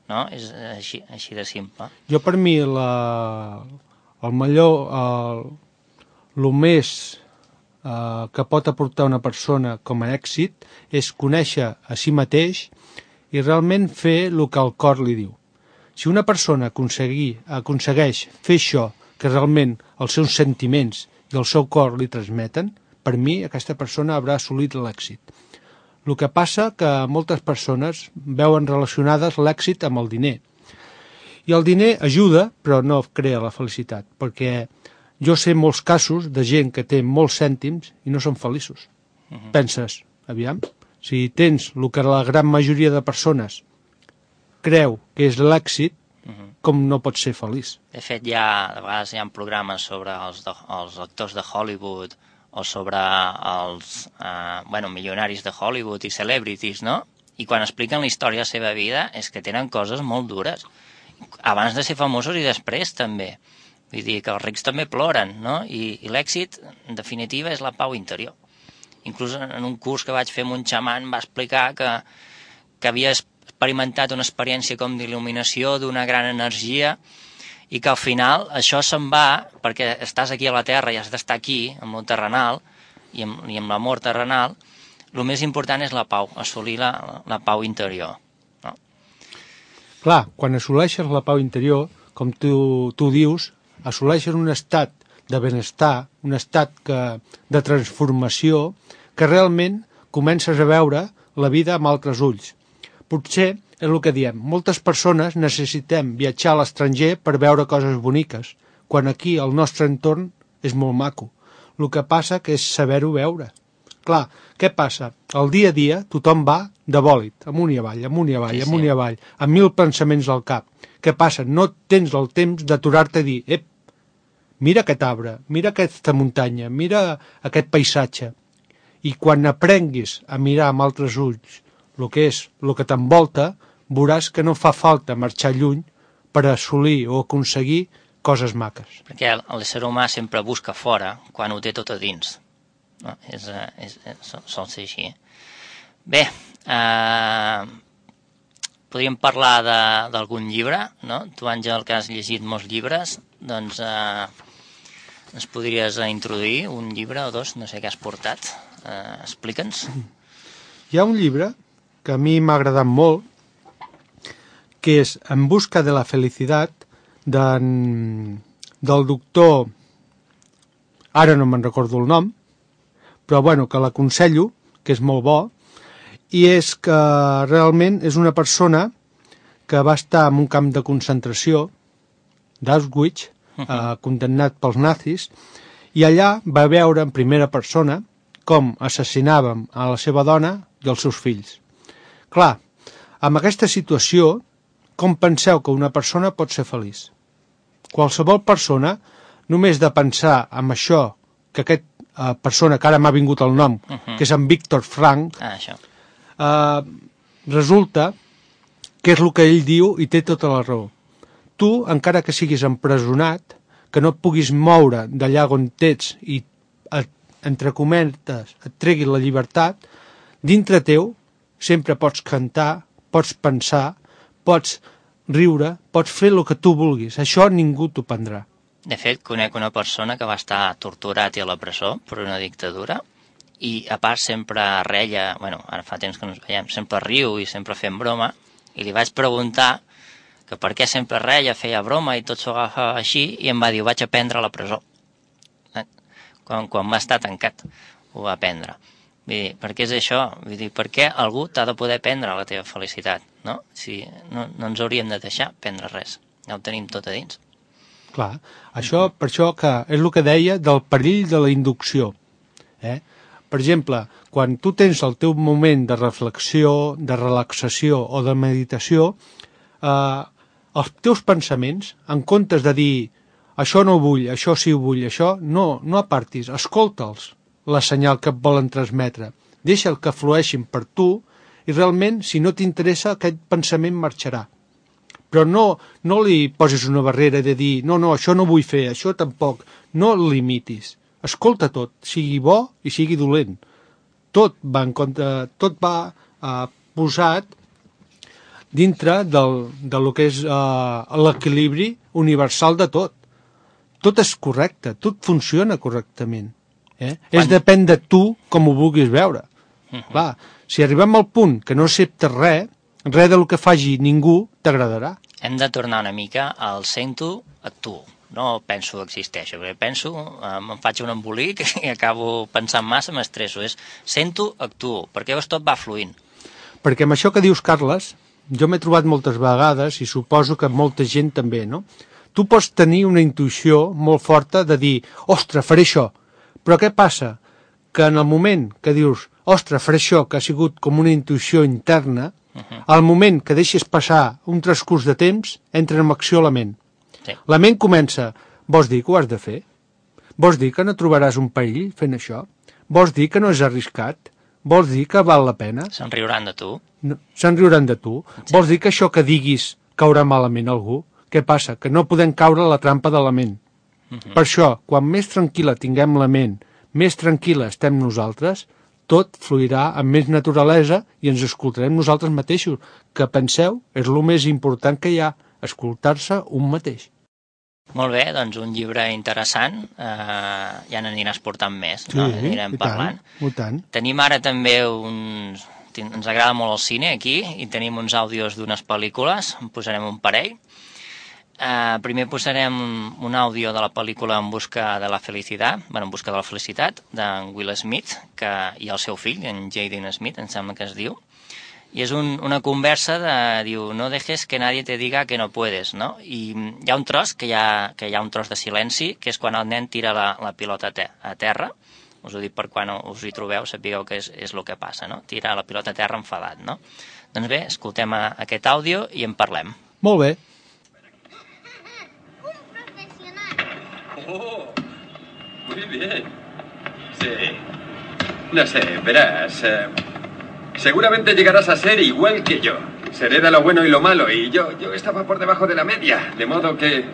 no? És així, així de simple. Jo, per mi, la, el millor, el, el més eh, que pot aportar una persona com a èxit és conèixer a si mateix i realment fer el que el cor li diu. Si una persona aconsegueix fer això que realment els seus sentiments i el seu cor li transmeten, per mi aquesta persona haurà assolit l'èxit. El que passa que moltes persones veuen relacionades l'èxit amb el diner. I el diner ajuda, però no crea la felicitat, perquè jo sé molts casos de gent que té molts cèntims i no són feliços. Uh-huh. Penses, aviam, si tens el que la gran majoria de persones creu que és l'èxit, uh-huh. com no pots ser feliç? De fet, hi ha, de vegades hi ha programes sobre els, de, els actors de Hollywood o sobre els eh, bueno, milionaris de Hollywood i celebrities, no? I quan expliquen la història de la seva vida és que tenen coses molt dures. Abans de ser famosos i després, també. Vull dir que els rics també ploren, no? I, i l'èxit, en definitiva, és la pau interior. Inclús en un curs que vaig fer amb un xaman va explicar que, que havia experimentat una experiència com d'il·luminació d'una gran energia i que al final això se'n va perquè estàs aquí a la Terra i has d'estar aquí, amb el terrenal i amb, i amb l'amor terrenal. El més important és la pau, assolir la, la pau interior. No? Clar, quan assoleixes la pau interior, com tu, tu dius, assoleixes un estat de benestar, un estat que, de transformació, que realment comences a veure la vida amb altres ulls. Potser és el que diem. Moltes persones necessitem viatjar a l'estranger per veure coses boniques, quan aquí el nostre entorn és molt maco. El que passa que és saber-ho veure. Clar, què passa? El dia a dia tothom va de bòlit, amunt i avall, amunt i avall, sí, amunt sí. i avall, amb mil pensaments al cap. Què passa? No tens el temps d'aturar-te i dir, ep, mira aquest arbre, mira aquesta muntanya, mira aquest paisatge. I quan aprenguis a mirar amb altres ulls el que és, el que t'envolta, veuràs que no fa falta marxar lluny per assolir o aconseguir coses maques. Perquè l'ésser humà sempre busca fora quan ho té tot a dins. No? És, és, és, sol ser així. Bé, eh, podríem parlar d'algun llibre, no? Tu, Àngel, que has llegit molts llibres, doncs eh, ens podries introduir un llibre o dos, no sé què has portat. Eh, Explica'ns. Hi ha un llibre que a mi m'ha agradat molt, que és En busca de la felicitat, del doctor, ara no me'n recordo el nom, però bueno, que l'aconsello, que és molt bo, i és que realment és una persona que va estar en un camp de concentració d'Auschwitz, uh-huh. eh, condemnat pels nazis, i allà va veure en primera persona com assassinàvem a la seva dona i els seus fills. Clar, amb aquesta situació, com penseu que una persona pot ser feliç? Qualsevol persona, només de pensar en això, que aquesta eh, persona, que ara m'ha vingut el nom, uh-huh. que és en Víctor Frank, ah, això. Eh, resulta que és el que ell diu i té tota la raó. Tu, encara que siguis empresonat, que no et puguis moure d'allà on ets i, et, entre cometes, et tregui la llibertat, dintre teu sempre pots cantar, pots pensar, pots riure, pots fer el que tu vulguis. Això ningú t'ho prendrà. De fet, conec una persona que va estar torturat i a la presó per una dictadura i a part sempre reia, bueno, ara fa temps que no ens veiem, sempre riu i sempre fem broma, i li vaig preguntar que per què sempre reia, feia broma i tot s'ho agafava així, i em va dir, ho vaig aprendre a la presó. Eh? Quan, quan va estar tancat, ho va aprendre. Vull dir, per què és això? Vull dir, per què algú t'ha de poder prendre la teva felicitat, no? Si no, no ens hauríem de deixar prendre res, ja ho tenim tot a dins. Clar, això, per això que és el que deia del perill de la inducció. Eh? Per exemple, quan tu tens el teu moment de reflexió, de relaxació o de meditació, eh, els teus pensaments, en comptes de dir això no ho vull, això sí ho vull, això, no, no apartis, escolta'ls la senyal que et volen transmetre. Deixa'l que flueixin per tu i realment, si no t'interessa, aquest pensament marxarà. Però no, no li posis una barrera de dir no, no, això no vull fer, això tampoc. No el limitis. Escolta tot, sigui bo i sigui dolent. Tot va, en compte, tot va eh, posat dintre del, de lo que és eh, l'equilibri universal de tot. Tot és correcte, tot funciona correctament. Eh? Quan... És depèn de tu com ho vulguis veure. Uh-huh. Clar, si arribem al punt que no acceptes res, res del que faci ningú t'agradarà. Hem de tornar una mica al sento, actuo. No penso existeixo, perquè penso, eh, me'n faig un embolic i acabo pensant massa, m'estresso. És sento, actuo, perquè llavors tot va fluint. Perquè amb això que dius, Carles, jo m'he trobat moltes vegades i suposo que molta gent també, no? Tu pots tenir una intuïció molt forta de dir, ostres, faré això. Però què passa? Que en el moment que dius, ostres, faré això, que ha sigut com una intuïció interna, uh-huh. al moment que deixes passar un transcurs de temps, entra en acció la ment. Sí. La ment comença, vols dir que ho has de fer? Vols dir que no trobaràs un perill fent això? Vols dir que no és arriscat? Vols dir que val la pena? Se'n riuran de tu. No, se'n riuran de tu. Sí. Vols dir que això que diguis caurà malament a algú? Què passa? Que no podem caure a la trampa de la ment. Uh-huh. Per això, quan més tranquil·la tinguem la ment, més tranquil·la estem nosaltres, tot fluirà amb més naturalesa i ens escoltarem nosaltres mateixos, que penseu, és el més important que hi ha, escoltar-se un mateix. Molt bé, doncs un llibre interessant, eh, ja n'aniràs portant més, sí, no? Anirem i parlant. Tant, i tant. Tenim ara també uns... Ens agrada molt el cine aquí i tenim uns àudios d'unes pel·lícules, en posarem un parell. Uh, primer posarem un àudio de la pel·lícula En busca de la felicitat, bueno, En busca de la felicitat, d'en Will Smith, que, i el seu fill, en Jaden Smith, em sembla que es diu, i és un, una conversa de, diu, no dejes que nadie te diga que no puedes, no? I hi ha un tros, que hi ha, que hi ha un tros de silenci, que és quan el nen tira la, la pilota a, te, a terra, us ho dic per quan us hi trobeu, sapigueu que és, és el que passa, no? Tira la pilota a terra enfadat, no? Doncs bé, escoltem a, aquest àudio i en parlem. Molt bé. Un profesional. Oh, muy bien. Sí. No sé, verás. Eh, seguramente llegarás a ser igual que yo. Seré de lo bueno y lo malo, y yo, yo estaba por debajo de la media. De modo que...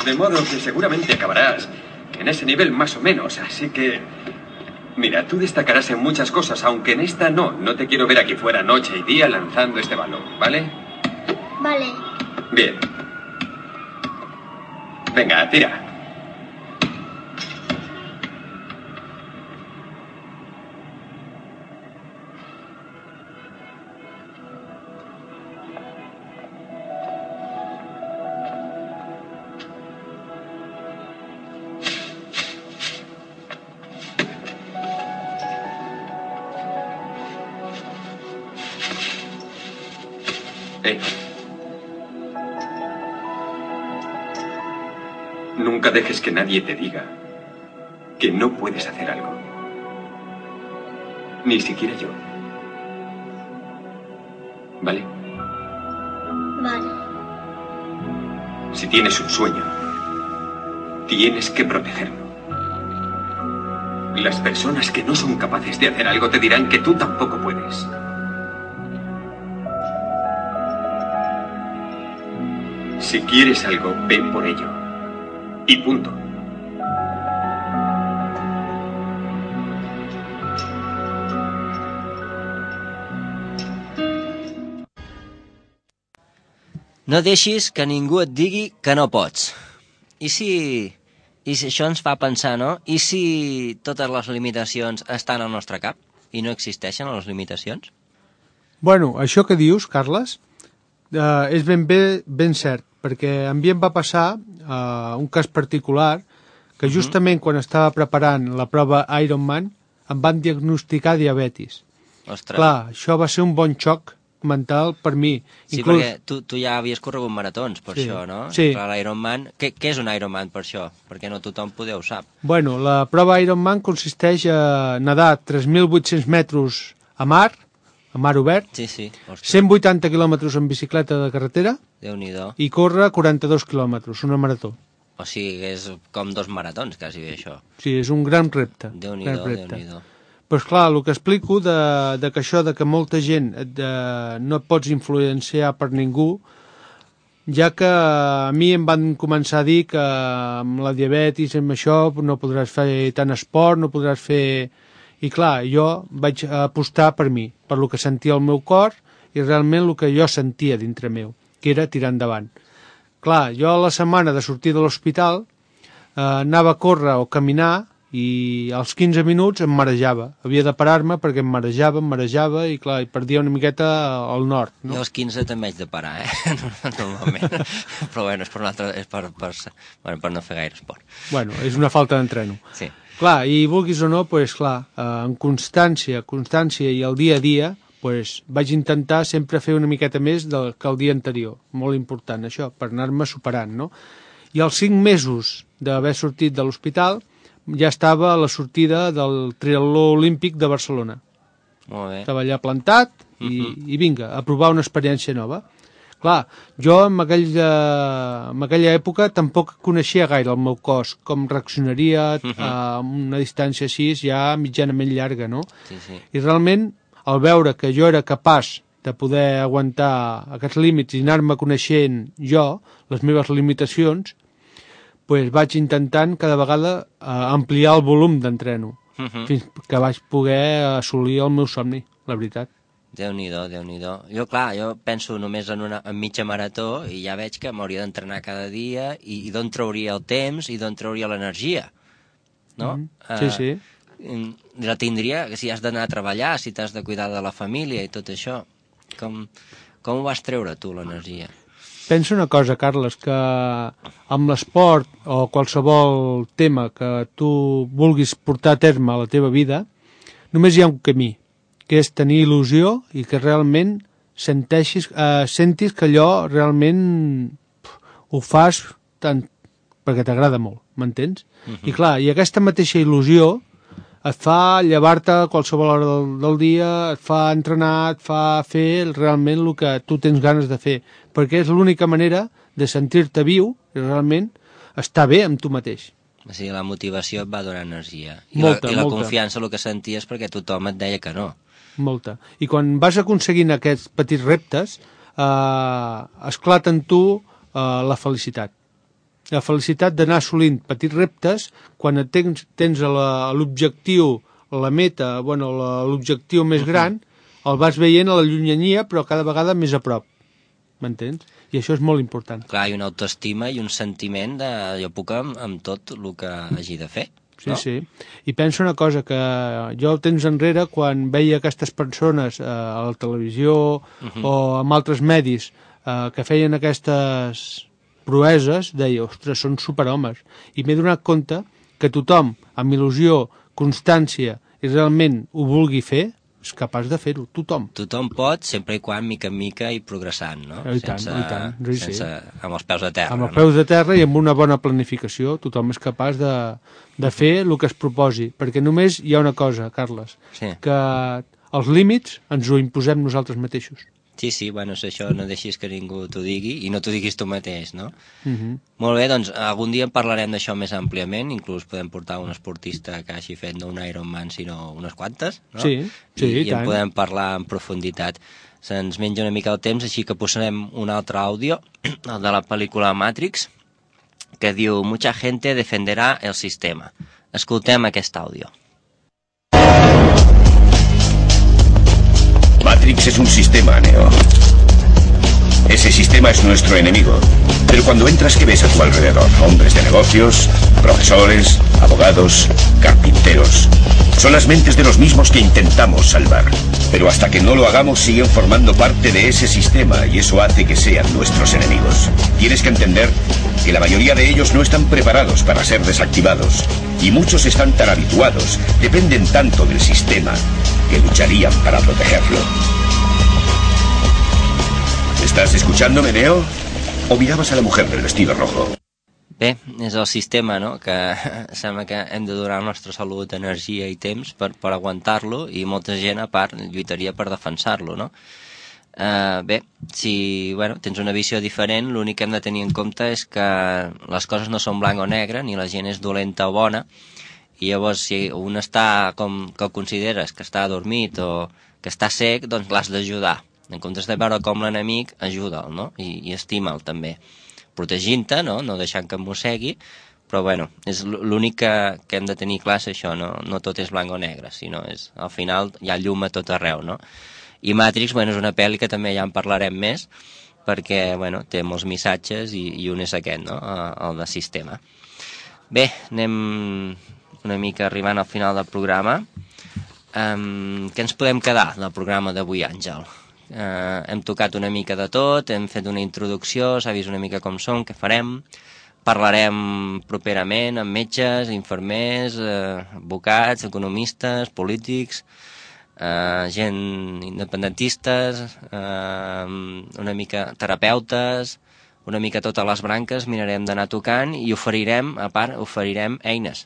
De modo que seguramente acabarás en ese nivel más o menos, así que... Mira, tú destacarás en muchas cosas, aunque en esta no. No te quiero ver aquí fuera noche y día lanzando este balón, ¿vale? Vale. Bien. Venga, tira. Eh. Nunca dejes que nadie te diga que no puedes hacer algo. Ni siquiera yo. ¿Vale? Vale. Si tienes un sueño, tienes que protegerlo. Las personas que no son capaces de hacer algo te dirán que tú tampoco puedes. Si quieres algo, ven por ello. Y punto. No deixis que ningú et digui que no pots. I si, i si això ens fa pensar, no? I si totes les limitacions estan al nostre cap i no existeixen les limitacions? Bueno, això que dius, Carles, eh, és ben bé ben cert, perquè a mi em va passar eh, un cas particular que justament quan estava preparant la prova Ironman em van diagnosticar diabetis. Ostres. Clar, això va ser un bon xoc mental per mi. Sí, Inclús... perquè tu, tu ja havies corregut maratons per Sí, això, no? sí. Clar, l'Ironman... Què, què és un Ironman per això? Perquè no tothom poder ho sap. Bueno, la prova Ironman consisteix a nedar tres mil vuit-cents metres a mar, a mar obert, Sí, sí. Ostres, cent vuitanta quilòmetres en bicicleta de carretera Déu-n'hi-do. i córrer quaranta-dos quilòmetres, una marató. O sigui, que és com dos maratons, quasi bé, això. Sí, és un gran repte. Déu-n'hi-do, gran repte. Déu-n'hi-do. Però és clar, el que explico de, de que això de que molta gent de, no et pots influenciar per ningú, ja que a mi em van començar a dir que amb la diabetis, amb això, no podràs fer tant esport, no podràs fer... I clar, jo vaig apostar per mi, per lo que sentia el meu cor i realment el que jo sentia dintre meu, que era tirar endavant. Clar, jo a la setmana de sortir de l'hospital eh, anava a córrer o caminar i als quinze minuts em marejava. Havia de parar-me perquè em marejava, em marejava i clar, i perdia una miqueta al nord. No? Jo als quinze també haig de parar, eh? Normalment. Però bueno, és per, un altre, és per, per, bueno, per no fer gaire esport. Bueno, és una falta d'entreno. Sí. Clar, i vulguis o no, pues, clar, eh, en constància, constància i el dia a dia, pues, vaig intentar sempre fer una miqueta més del que el dia anterior. Molt important, això, per anar-me superant, no? I als cinc mesos d'haver sortit de l'hospital ja estava a la sortida del triatló olímpic de Barcelona. Molt bé. Estava allà plantat i, uh-huh. i vinga, a provar una experiència nova. Clar, jo en aquella, en aquella època tampoc coneixia gaire el meu cos, com reaccionaria uh-huh. a una distància així ja mitjanament llarga, no? Sí, sí. I realment, al veure que jo era capaç de poder aguantar aquests límits i anar-me coneixent jo, les meves limitacions, pues vaig intentant cada vegada eh, ampliar el volum d'entreno, uh-huh. fins que vaig poder assolir el meu somni, la veritat. Déu-n'hi-do, Déu-n'hi-do. Jo, clar, jo penso només en una en mitja marató i ja veig que m'hauria d'entrenar cada dia i, i d'on trauria el temps i d'on trauria l'energia, no? Mm-hmm. Sí, sí. Uh, la tindria, que si has d'anar a treballar, si t'has de cuidar de la família i tot això. Com, com ho vas treure, tu, l'energia? Pensa una cosa, Carles, que amb l'esport o qualsevol tema que tu vulguis portar a terme a la teva vida, només hi ha un camí, que és tenir il·lusió i que realment senteixis, eh, sentis que allò realment pf, ho fas tant perquè t'agrada molt, m'entens? Uh-huh. I clar, i aquesta mateixa il·lusió et fa llevar-te a qualsevol hora del, del dia, et fa entrenar, et fa fer realment el que tu tens ganes de fer, perquè és l'única manera de sentir-te viu i realment estar bé amb tu mateix. O sigui, la motivació et va donar energia. I, molta, la, i la molta. confiança, el que senties, perquè tothom et deia que no. Molta. I quan vas aconseguint aquests petits reptes, eh, esclata en tu eh, la felicitat. La felicitat d'anar assolint petits reptes quan tens, tens la, l'objectiu, la meta, bueno, la, l'objectiu més gran, el vas veient a la llunyania, però cada vegada més a prop. M'entens? I això és molt important. Clar, hi ha una autoestima i un sentiment de jo puc amb, amb tot el que hagi de fer. Sí, no? sí. I penso una cosa, que jo temps enrere, quan veia aquestes persones eh, a la televisió uh-huh. o en altres medis eh, que feien aquestes proeses, deia, ostres, són superhomes. I m'he donat compte que tothom, amb il·lusió, constància i realment ho vulgui fer, és capaç de fer-ho, tothom. Tothom pot, sempre i quan, mica en mica, i progressant, no? I tant, sense, i tant. Sí, sense, sí. amb els peus a terra. Amb els peus de terra i amb una bona planificació, tothom és capaç de, de fer el que es proposi. Perquè només hi ha una cosa, Carles, sí. que els límits ens ho imposem nosaltres mateixos. Sí, sí, bueno, és això, no deixis que ningú t'ho digui i no t'ho diguis tu mateix, no? Uh-huh. Molt bé, doncs algun dia en parlarem d'això més àmpliament, inclús podem portar un esportista que hagi fet no un Ironman, sinó unes quantes, no? Sí, sí, I, i i en tant. podem parlar en profunditat. Se'ns menja una mica el temps, així que posarem un altre àudio, el de la pel·lícula Matrix, que diu «Mucha gente defenderá el sistema». Escoltem aquest àudio. Matrix es un sistema, Neo. Ese sistema es nuestro enemigo. Pero cuando entras, ¿qué ves a tu alrededor? Hombres de negocios, profesores, abogados, carpinteros. Son las mentes de los mismos que intentamos salvar. Pero hasta que no lo hagamos, siguen formando parte de ese sistema y eso hace que sean nuestros enemigos. Tienes que entender que la mayoría de ellos no están preparados para ser desactivados. Y muchos están tan habituados, dependen tanto del sistema, que lucharían para protegerlo. ¿Estás escuchándome, Neo? ¿O mirabas a la mujer del vestido rojo? Bé, és el sistema, no?, que sembla que hem de donar la nostra salut, energia i temps per, per aguantar-lo, i molta gent, a part, lluitaria per defensar-lo, no? Uh, bé, si bueno, tens una visió diferent, l'únic que hem de tenir en compte és que les coses no són blanc o negre, ni la gent és dolenta o bona, i llavors si un està com que el consideres que està adormit o que està sec, doncs l'has d'ajudar. En comptes de veure com l'enemic, ajuda'l, no? I, i estima'l també. Protegint-te, no? No deixant que em mossegui, però bueno, és l'únic que, que hem de tenir clar és això, no? No tot és blanc o negre, sinó és, al final hi ha llum a tot arreu, no? I Matrix, bueno, és una pel·li que també ja en parlarem més, perquè, bueno, té molts missatges i, i un és aquest, no? El de sistema. Bé, anem una mica arribant al final del programa. Um, què ens podem quedar del programa d'avui, Àngel? Uh, hem tocat una mica de tot, hem fet una introducció, s'ha vist una mica com som, què farem, parlarem properament amb metges, infermers, uh, advocats, economistes, polítics, uh, gent independentistes, uh, una mica terapeutes, una mica totes les branques, mirarem d'anar tocant i oferirem, a part, oferirem eines.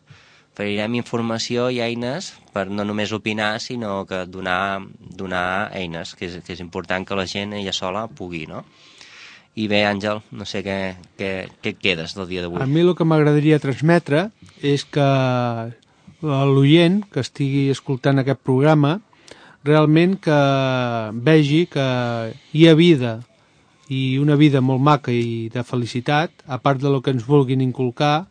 Oferirem informació i eines per no només opinar, sinó que donar, donar eines, que és, que és important que la gent ella sola pugui, no? I bé, Àngel, no sé què, què, què et quedes del dia d'avui. A mi el que m'agradaria transmetre és que l'oient que estigui escoltant aquest programa realment que vegi que hi ha vida, i una vida molt maca i de felicitat, a part de lo que ens vulguin inculcar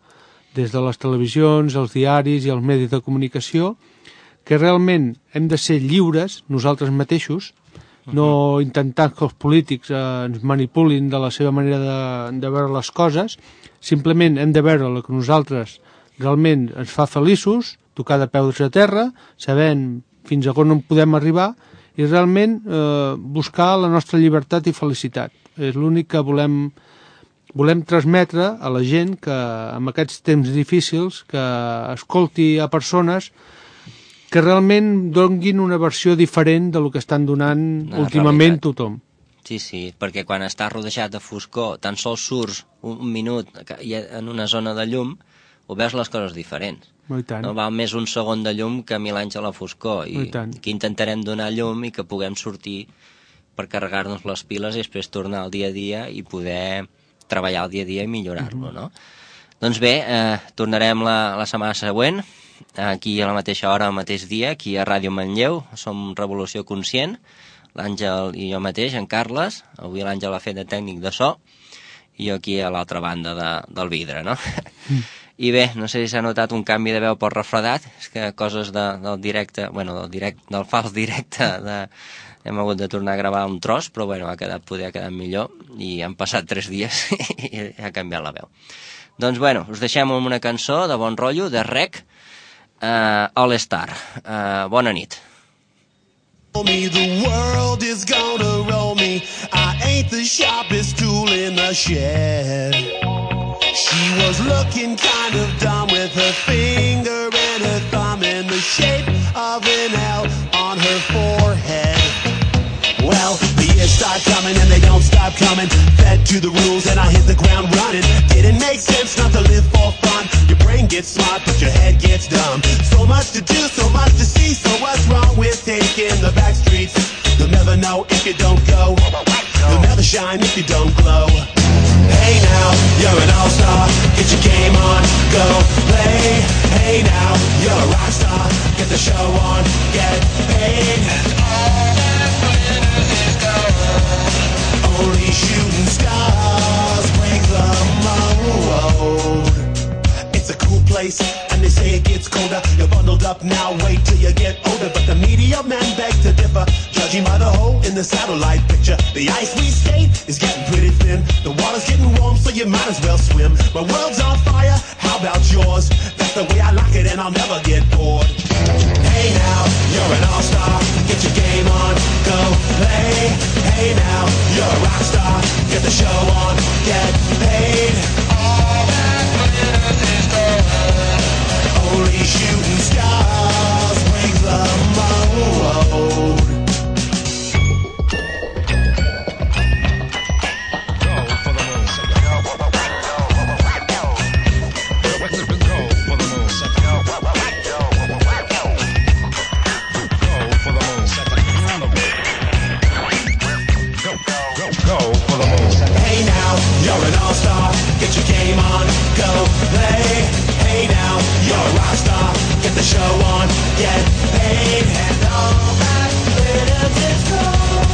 des de les televisions, els diaris i els medis de comunicació, que realment hem de ser lliures nosaltres mateixos, no intentar que els polítics eh, ens manipulin de la seva manera de, de veure les coses, simplement hem de veure el que nosaltres realment ens fa feliços, tocar de peus a terra, sabent fins a on en podem arribar i realment eh, buscar la nostra llibertat i felicitat. És l'únic que volem volem transmetre a la gent que en aquests temps difícils que escolti a persones que realment donguin una versió diferent del que estan donant La últimament realitat. tothom. Sí, sí, perquè quan estàs rodejat de foscor, tan sols surts un, un minut i en una zona de llum, ho veus les coses diferents. I tant. No val més un segon de llum que mil anys a la foscor. I, I tant. que intentarem donar llum i que puguem sortir per carregar-nos les piles i després tornar al dia a dia i poder treballar el dia a dia i millorar-lo, no? Doncs bé, eh, tornarem la, la setmana següent, aquí a la mateixa hora, al mateix dia, aquí a Ràdio Manlleu, som Revolució Conscient, l'Àngel i jo mateix, en Carles, avui l'Àngel ha fet de tècnic de so, i jo aquí a l'altra banda de, del vidre, no? Mm. I bé, no sé si s'ha notat un canvi de veu pel refredat, és que coses de, del directe, bueno, del, direct, del fals directe, de, hem hagut de tornar a gravar un tros, però bueno, ha quedat, poder ha quedat millor, i han passat tres dies i ha canviat la veu. Doncs bueno, us deixem amb una cançó de bon rotllo, de Rec, uh, All Star. Uh, bona nit. Me, the world is gonna roll me. I ain't the sharpest tool in the shed. She was looking kind of dumb with her finger and her thumb in the shape of an L on her forehead. Well, the years start coming and they don't stop coming. Fed to the rules and I hit the ground running. Didn't make sense not to live for fun. Your brain gets smart but your head gets dumb. So much to do, so much to see. So what's wrong with taking the back streets? You'll never know if you don't go. You'll never shine if you don't glow. Hey now, you're an all-star. Get your game on, go play. Hey now, you're a rock star. Get the show on, get paid. And all that glitters is gold. Only shooting stars break the mold. It's a cool place, and they say it gets colder. You're bundled up now, wait till you get older. But the media men beg to differ, judging by the hole in the satellite picture. The ice we skate is getting pretty thin. The water's getting warm, so you might as well swim. My world's on fire, how about yours? That's the way I like it, and I'll never get bored. Hey now, you're an all-star. Get your game on, go play. Hey now, you're a rock star. Get the show on, get paid. All that glitters is gold. Only shooting stars break the mold. Hey now, you're an all-star. Get your game on, go play. Hey now, you're a rock star. Get the show on, get paid. And all that glitters is gold.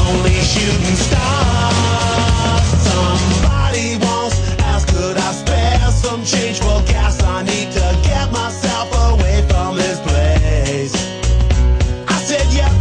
Only shooting stars. Somebody once asked, could I spare some change for gas? I need to get myself away from this place. I said, yeah,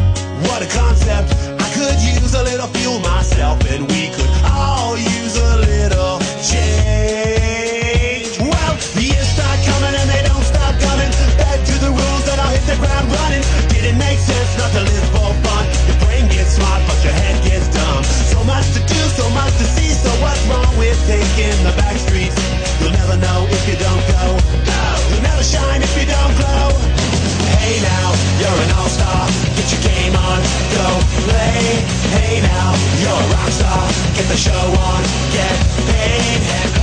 what a concept. I could use a little fuel myself, and we could all use a little change. Well, the years start coming and they don't stop coming. Back to the rules that I'll hit the ground running. Didn't make sense not to live for fun. Your brain gets smart but your head gets dumb. So much to do, so much to see. So what's wrong with taking the back streets? You'll never know if you don't go. You'll never shine if you don't glow. Hey now, you're an all-star. Get your game on, go play. Hey now, you're a rock star. Get the show on, get paid. And